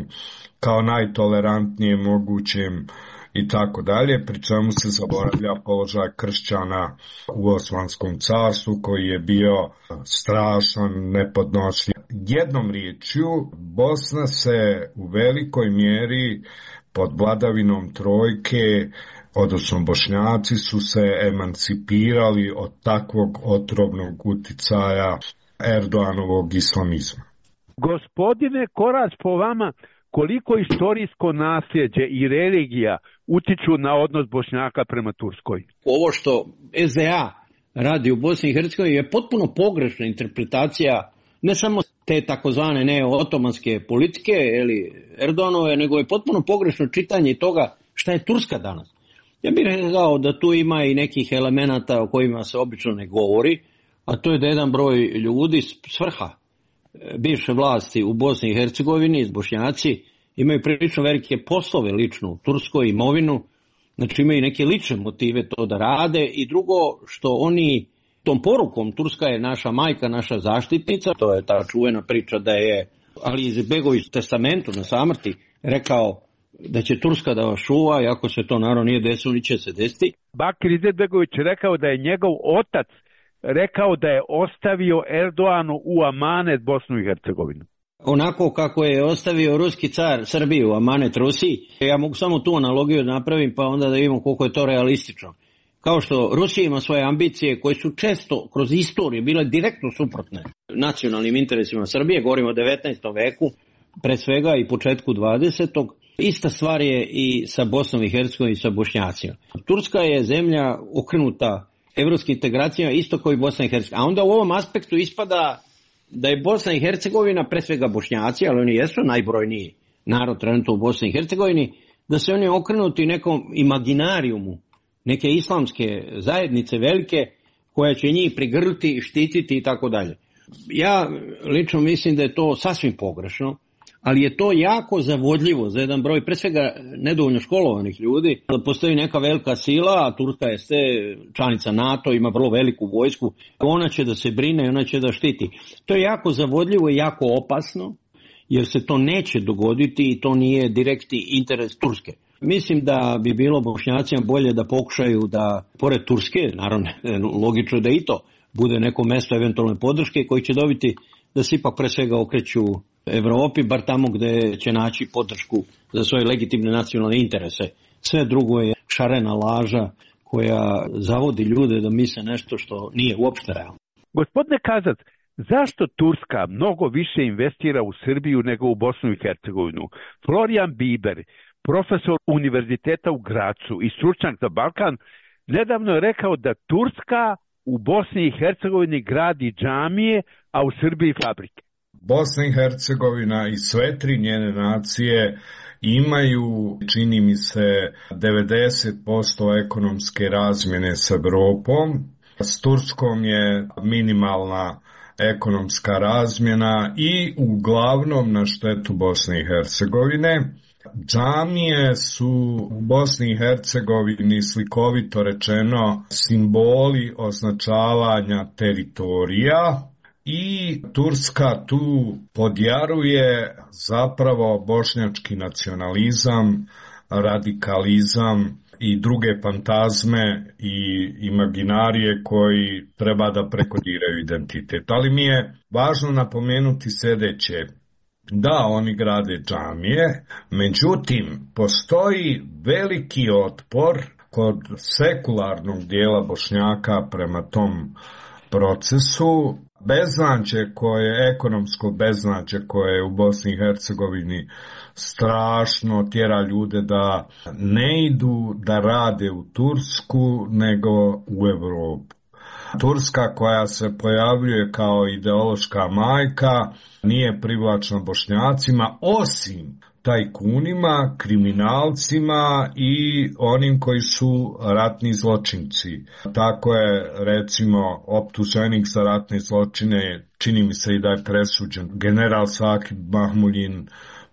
kao najtolerantnijem mogućem i tako dalje, pri čemu se zaboravlja položaj kršćana u Osmanskom carstvu koji je bio strašan, nepodnošljiv. Jednom riječju, Bosna se u velikoj mjeri pod vladavinom trojke, odnosno Bošnjaci su se emancipirali od takvog otrovnog uticaja Erdoganovog islamizma. Gospodine Korać, po vama, koliko istorijsko nasljeđe i religija utiču na odnos Bošnjaka prema Turskoj? Ovo što SDA radi u Bosni i Hercegovini je potpuno pogrešna interpretacija ne samo te takozvane neo-otomanske politike ili Erdoganove, nego je potpuno pogrešno čitanje toga šta je Turska danas. Ja bih rekao da tu ima i nekih elemenata o kojima se obično ne govori, a to je da jedan broj ljudi s vrha bivše vlasti u Bosni i Hercegovini, Bošnjaci, imaju prilično velike poslove lično u Turskoj, imovinu, znači imaju neke lične motive to da rade, i drugo što oni tom porukom Turska je naša majka, naša zaštitnica, to je ta čuvena priča da je Ali Izetbegović u testamentu na samrti rekao da će Turska da vas čuva, i ako se to naravno nije desilo, ni će se desiti. Bakir Izetbegović rekao da je njegov otac rekao da je ostavio Erdoganu u amanet Bosnu i Hercegovinu. Onako kako je ostavio ruski car Srbiju u amanet Rusiji, ja mogu samo tu analogiju napravim pa onda da vidimo koliko je to realistično. Kao što Rusija ima svoje ambicije koje su često kroz istoriju bile direktno suprotne nacionalnim interesima Srbije, govorimo o 19. veku, pre svega i početku 20. Ista stvar je i sa Bosnom i Hercegovinom i sa Bošnjacima. Turska je zemlja okrenuta evropskim integracijama isto kao i Bosna i Hercegovina. A onda u ovom aspektu ispada da je Bosna i Hercegovina, pre svega Bošnjaci, ali oni jesu najbrojniji narod trenutno u Bosni i Hercegovini, da se oni okrenuti nekom imaginarijumu, neke islamske zajednice velike koja će njih prigrliti, štititi i tako dalje. Ja lično mislim da je to sasvim pogrešno, ali je to jako zavodljivo za jedan broj, pre svega nedovoljno školovanih ljudi, da postoji neka velika sila, a Turska je članica NATO, ima vrlo veliku vojsku, ona će da se brine, ona će da štiti. To je jako zavodljivo i jako opasno, jer se to neće dogoditi i to nije direktni interes Turske. Mislim da bi bilo Bošnjacima bolje da pokušaju da, pored Turske, naravno logično da i to bude neko mesto eventualne podrške koji će dobiti da se ipak pre svega okreću Evropi, bar tamo gde će naći podršku za svoje legitimne nacionalne interese. Sve drugo je šarena laža koja zavodi ljude da misle nešto što nije uopšte realno. Gospodine Kazac, zašto Turska mnogo više investira u Srbiju nego u Bosnu i Hercegovinu? Florijan Biber, profesor univerziteta u Gracu i stručnjak za Balkan, nedavno je rekao da Turska u Bosni i Hercegovini gradi džamije, a u Srbiji fabrike. Bosna i Hercegovina i sve tri njene nacije imaju, čini mi se, 90% ekonomske razmjene s Evropom. S Turskom je minimalna ekonomska razmjena i uglavnom na štetu Bosne i Hercegovine. Džamije su u Bosni i Hercegovini, slikovito rečeno, simboli označavanja teritorija, i Turska tu podjaruje zapravo bošnjački nacionalizam, radikalizam i druge fantazme i imaginarije koji treba da prekodiraju identitet. Ali mi je važno napomenuti sljedeće. Da, oni grade džamije, međutim, postoji veliki otpor kod sekularnog dijela Bošnjaka prema tom procesu. Beznađe koje, ekonomsko beznađe koje je u Bosni i Hercegovini strašno tjera ljude da ne idu da rade u Tursku nego u Evropu. Turska koja se pojavljuje kao ideološka majka nije privlačna Bošnjacima osim tajkunima, kriminalcima i onim koji su ratni zločinci. Tako je recimo optuženik za ratne zločine, čini mi se i da je presuđen, general Sakib Mahmuljin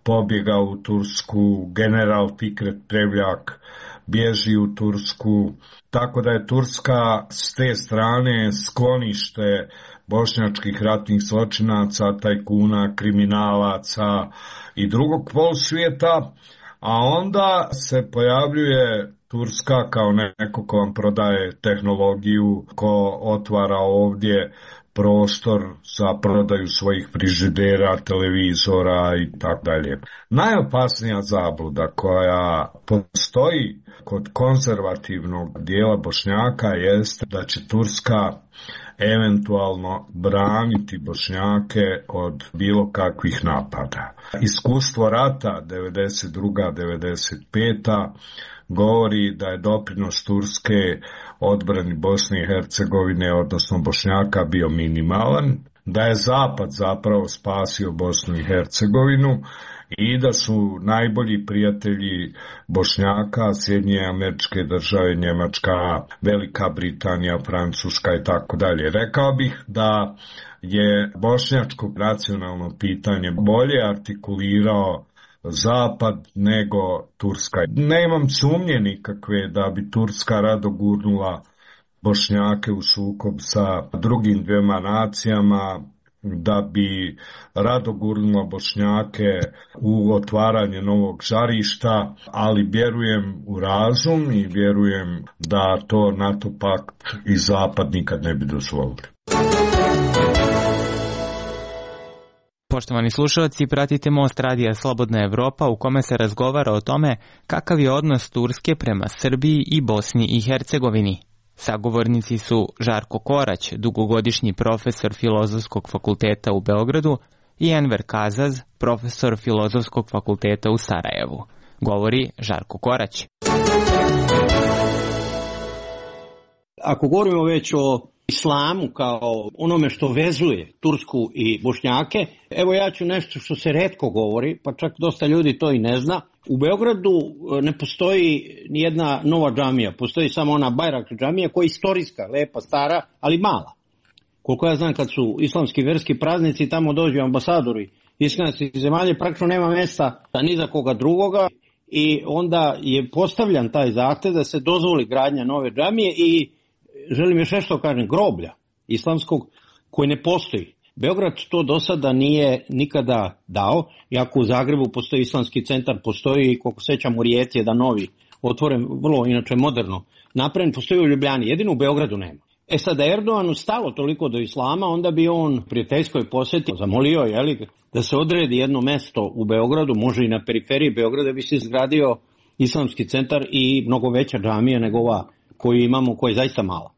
pobjegao u Tursku, general Fikret Prevljak bježi u Tursku, tako da je Turska s te strane sklonište bošnjačkih ratnih zločinaca, tajkuna, kriminalaca i drugog polsvijeta, a onda se pojavljuje Turska kao neko ko vam prodaje tehnologiju, ko otvara ovdje prostor za prodaju svojih frižidera, televizora i tako dalje. Najopasnija zabluda koja postoji kod konzervativnog dijela Bošnjaka jeste da će Turska eventualno braniti Bošnjake od bilo kakvih napada. Iskustvo rata 92-95 govori da je doprinos Turske odbrani Bosne i Hercegovine, odnosno Bošnjaka, bio minimalan, da je Zapad zapravo spasio Bosnu i Hercegovinu i da su najbolji prijatelji Bošnjaka Sjedinjene Američke Države, Njemačka, Velika Britanija, Francuska i tako dalje. Rekao bih da je bošnjačko nacionalno pitanje bolje artikulirao Zapad nego Turska. Ne imam sumnje nikakve da bi Turska rado gurnula Bošnjake u sukob sa drugim dvema nacijama, da bi rado gurnula Bošnjake u otvaranje novog žarišta, ali vjerujem u razum i vjerujem da to NATO pakt i Zapad nikad ne bi dozvolili. Poštovani slušalci, pratite Most radija Slobodna Evropa u kome se razgovara o tome kakav je odnos Turske prema Srbiji i Bosni i Hercegovini. Sagovornici su Žarko Korać, dugogodišnji profesor Filozofskog fakulteta u Beogradu, i Enver Kazaz, profesor Filozofskog fakulteta u Sarajevu. Govori Žarko Korać. Ako govorimo već o islamu kao onome što vezuje Tursku i Bošnjake, evo ja ću nešto što se retko govori, pa čak dosta ljudi to i ne zna. U Beogradu ne postoji nijedna nova džamija, postoji samo ona Bajrak džamija koja je istorijska, lepa, stara, ali mala. Koliko ja znam, kad su islamski verski praznici, tamo dođu ambasadori islamskih zemalja, praktično nema mesta ni za koga drugoga i onda je postavljan taj zahtev da se dozvoli gradnja nove džamije i želim još nešto kažem, groblja islamskog koji ne postoji. Beograd to do sada nije nikada dao, iako u Zagrebu postoji islamski centar, postoji, koliko sećam, u Rijeci jedan novi, otvoren, vrlo inače moderno napravljen, postoji u Ljubljani, jedino u Beogradu nema. Sad da Erdoganu stalo toliko do islama, onda bi on prijateljskoj posjeti zamolio da se odredi jedno mesto u Beogradu, može i na periferiji Beograda, bi se izgradio islamski centar i mnogo veća džamija nego ova koju imamo, koja je zaista mala.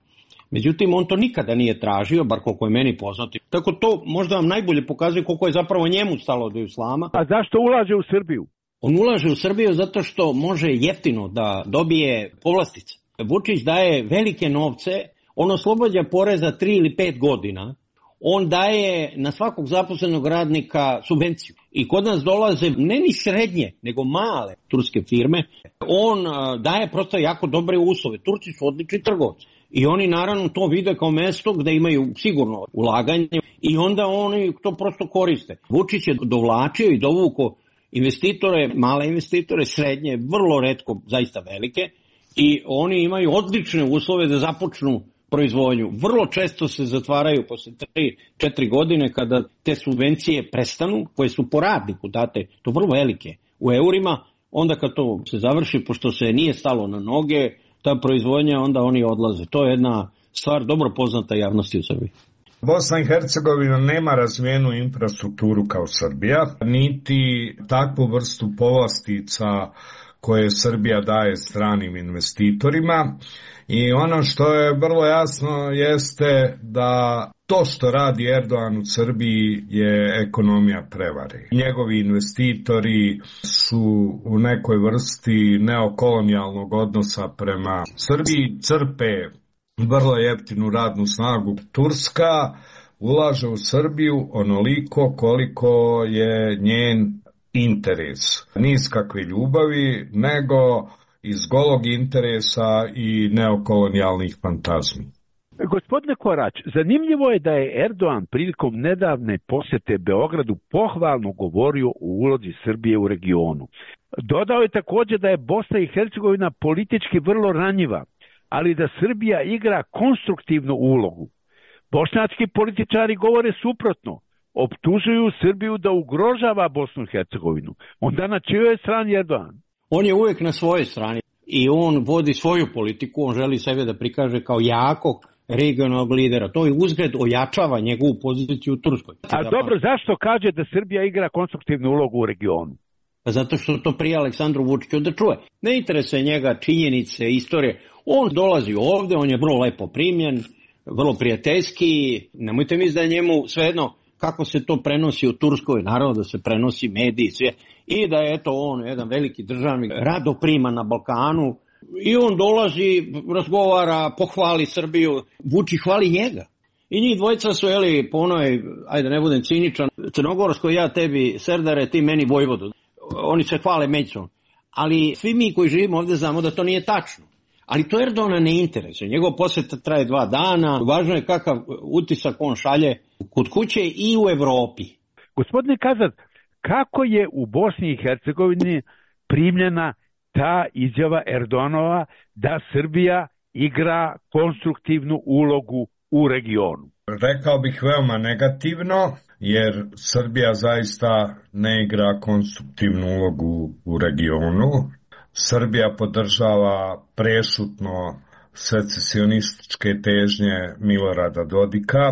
Međutim, on to nikada nije tražio, bar koliko je meni poznati. Tako to možda vam najbolje pokazuje koliko je zapravo njemu stalo do islama. A zašto ulaže u Srbiju? On ulaže u Srbiju zato što može jeftino da dobije povlastice. Vučić daje velike novce, on oslobađa poreza 3 ili 5 godina, on daje na svakog zaposlenog radnika subvenciju. I kod nas dolaze ne ni srednje, nego male turske firme. On daje prosto jako dobre uslove. Turci su odlični trgovci. I oni naravno to vide kao mesto gde imaju sigurno ulaganje i onda oni to prosto koriste. Vučić je dovlačio i dovuko investitore, male investitore, srednje, vrlo retko, zaista velike, i oni imaju odlične uslove da započnu proizvodnju. Vrlo često se zatvaraju posle 3-4 godine kada te subvencije prestanu, koje su po radniku date, to vrlo velike, u eurima, onda kad to se završi, pošto se nije stalo na noge, ta proizvodnja, onda oni odlaze. To je jedna stvar dobro poznata javnosti u Srbiji. Bosna i Hercegovina nema razvijenu infrastrukturu kao Srbija, niti takvu vrstu povlastica koje Srbija daje stranim investitorima. I ono što je vrlo jasno jeste da to što radi Erdogan u Srbiji je ekonomija prevare. Njegovi investitori su u nekoj vrsti neokolonijalnog odnosa prema Srbiji, crpe vrlo jeftinu radnu snagu. Turska ulaže u Srbiju onoliko koliko je njen interes. Ni iz kakve ljubavi, nego iz golog interesa i neokolonijalnih fantazmi. Gospodine Korać, zanimljivo je da je Erdogan prilikom nedavne posjete Beogradu pohvalno govorio o ulozi Srbije u regionu. Dodao je također da je Bosna i Hercegovina politički vrlo ranjiva, ali da Srbija igra konstruktivnu ulogu. Bošnjački političari govore suprotno, optužuju Srbiju da ugrožava Bosnu i Hercegovinu. Onda na čijoj je strani Erdogan? On je uvek na svojoj strani i on vodi svoju politiku, on želi sebe da prikaže kao jakog regionalnog lidera. To je uzgled ojačava njegovu poziciju u Turskoj. A dobro, zašto kaže da Srbija igra konstruktivnu ulogu u regionu? Zato što to prije Aleksandru Vučiću da čuje. Ne interesuje njega činjenice, istorije. On dolazi ovde, on je vrlo lepo primljen, vrlo prijateljski. Nemojte misliti da je njemu svejedno kako se to prenosi u Turskoj. Naravno da se prenosi mediji, sve. I da je on jedan veliki državnik, rado prima na Balkanu. I on dolazi, razgovara, pohvali Srbiju. Vučić hvali njega. I njih dvojica su, po onoj, ajde ne budem ciničan, crnogorskoj ja tebi Serdare, ti meni Vojvodu. Oni se hvale međusobno. Ali svi mi koji živimo ovde znamo da to nije tačno. Ali to Erdogana ne interesuje. Njegov posjeta traje 2 dana. Važno je kakav utisak on šalje kod kuće i u Evropi. Gospodine Kazac, kako je u Bosni i Hercegovini primljena ta izjava Erdoganova da Srbija igra konstruktivnu ulogu u regionu? Rekao bih veoma negativno, jer Srbija zaista ne igra konstruktivnu ulogu u regionu. Srbija podržava prešutno secesionističke težnje Milorada Dodika.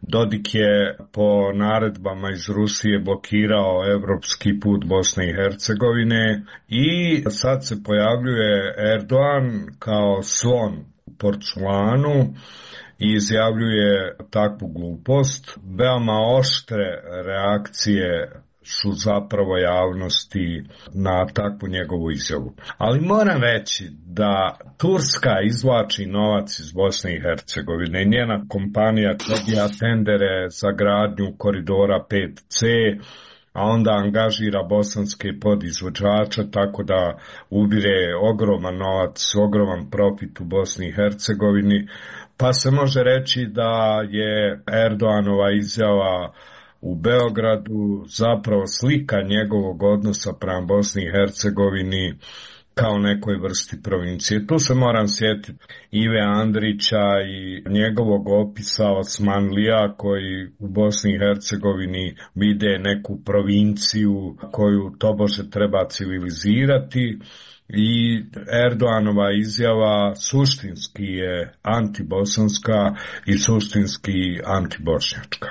Dodik je po naredbama iz Rusije blokirao evropski put Bosne i Hercegovine i sad se pojavljuje Erdogan kao slon u porculanu i izjavljuje takvu glupost. Veoma oštre reakcije su zapravo javnosti na takvu njegovu izjavu. Ali moram reći da Turska izvlači novac iz Bosne i Hercegovine. Njena kompanija dobija tendere za gradnju koridora 5C, a onda angažira bosanske podizvođače, tako da ubire ogroman novac, ogroman profit u Bosni i Hercegovini. Pa se može reći da je Erdoganova izjava u Beogradu zapravo slika njegovog odnosa prema Bosni i Hercegovini kao nekoj vrsti provincije. Tu se moram sjetiti Ive Andrića i njegovog opisa Osmanlija koji u Bosni i Hercegovini vide neku provinciju koju tobože treba civilizirati. I Erdoganova izjava suštinski je antibosanska i suštinski antibošnjačka.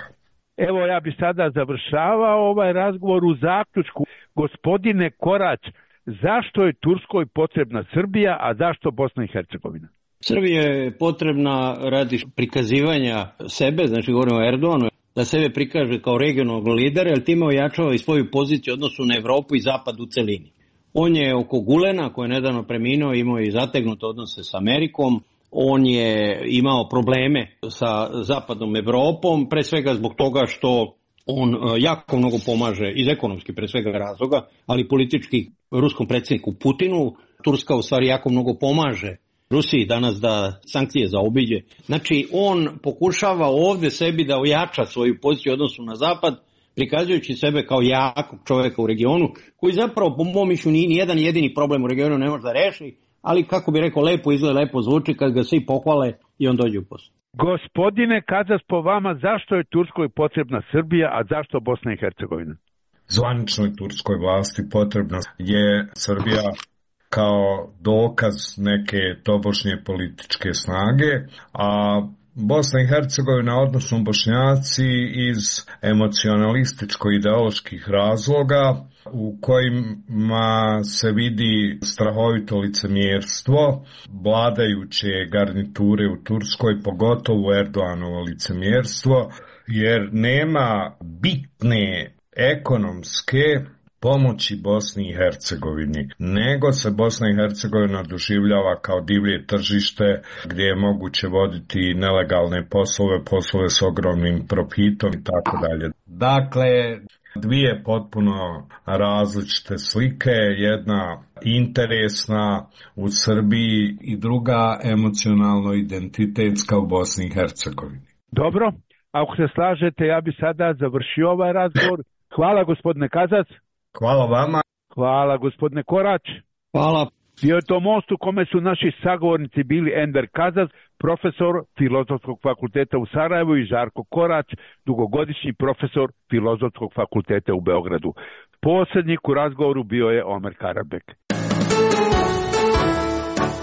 Evo ja bi sada završavao ovaj razgovor u zaključku. Gospodine Korać, zašto je Turskoj potrebna Srbija, a zašto Bosna i Hercegovina? Srbija je potrebna radi prikazivanja sebe, znači govorimo o Erdoganu, da sebe prikaže kao regionalnog lidera, jer time ojačava i svoju poziciju u odnosu na Evropu i Zapad u celini. On je oko Gulena, koji je nedavno preminuo, imao i zategnute odnose s Amerikom. On je imao probleme sa zapadnom Evropom, pre svega zbog toga što on jako mnogo pomaže, iz ekonomskih pre svega razloga, ali politički ruskom predsjedniku Putinu. Turska u stvari jako mnogo pomaže Rusiji danas da sankcije zaobiđe. Znači on pokušava ovde sebi da ojača svoju poziciju u odnosu na zapad, prikazujući sebe kao jakog čoveka u regionu, koji zapravo po mom mišljenju nije nijedan jedini problem u regionu ne može da reši, ali kako bi rekao, lepo izgleda, lepo zvuči kad ga svi pohvale i on dođe u posao. Gospodine Kazas, po vama, zašto je Turskoj potrebna Srbija, a zašto Bosna i Hercegovina? Zvaničnoj turskoj vlasti potrebna je Srbija kao dokaz neke tobožnje političke snage, a Bosna i Hercegovina, odnosno Bošnjaci, iz emocionalističko-ideoloških razloga u kojima se vidi strahovito licemjerstvo vladajuće garniture u Turskoj, pogotovo Erdoganovo licemjerstvo, jer nema bitne ekonomske pomoći Bosni i Hercegovini, nego se Bosna i Hercegovina doživljava kao divlje tržište gdje je moguće voditi nelegalne poslove s ogromnim profitom i tako dalje. Dakle, dvije potpuno različite slike, jedna interesna u Srbiji i druga emocionalno identitetska u Bosni i Hercegovini. Dobro, ako se slažete, ja bi sada završio ovaj razgovor. Hvala gospodine Kazac. Hvala vama. Hvala gospodine Korać. Hvala. Bio je to most u kome su naši sagovornici bili Enver Kazac, profesor Filozofskog fakulteta u Sarajevu, i Žarko Korać, dugogodišnji profesor Filozofskog fakulteta u Beogradu. Posrednik u razgovoru bio je Omer Karabek.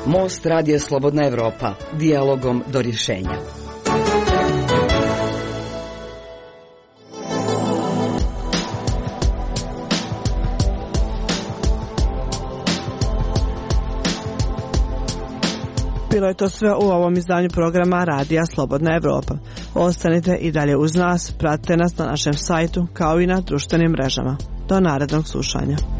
Most Radija Slobodna Evropa, dijalogom do rješenja. Bilo je to sve u ovom izdanju programa Radija Slobodna Evropa. Ostanite i dalje uz nas, pratite nas na našem sajtu kao i na društvenim mrežama. Do narednog slušanja.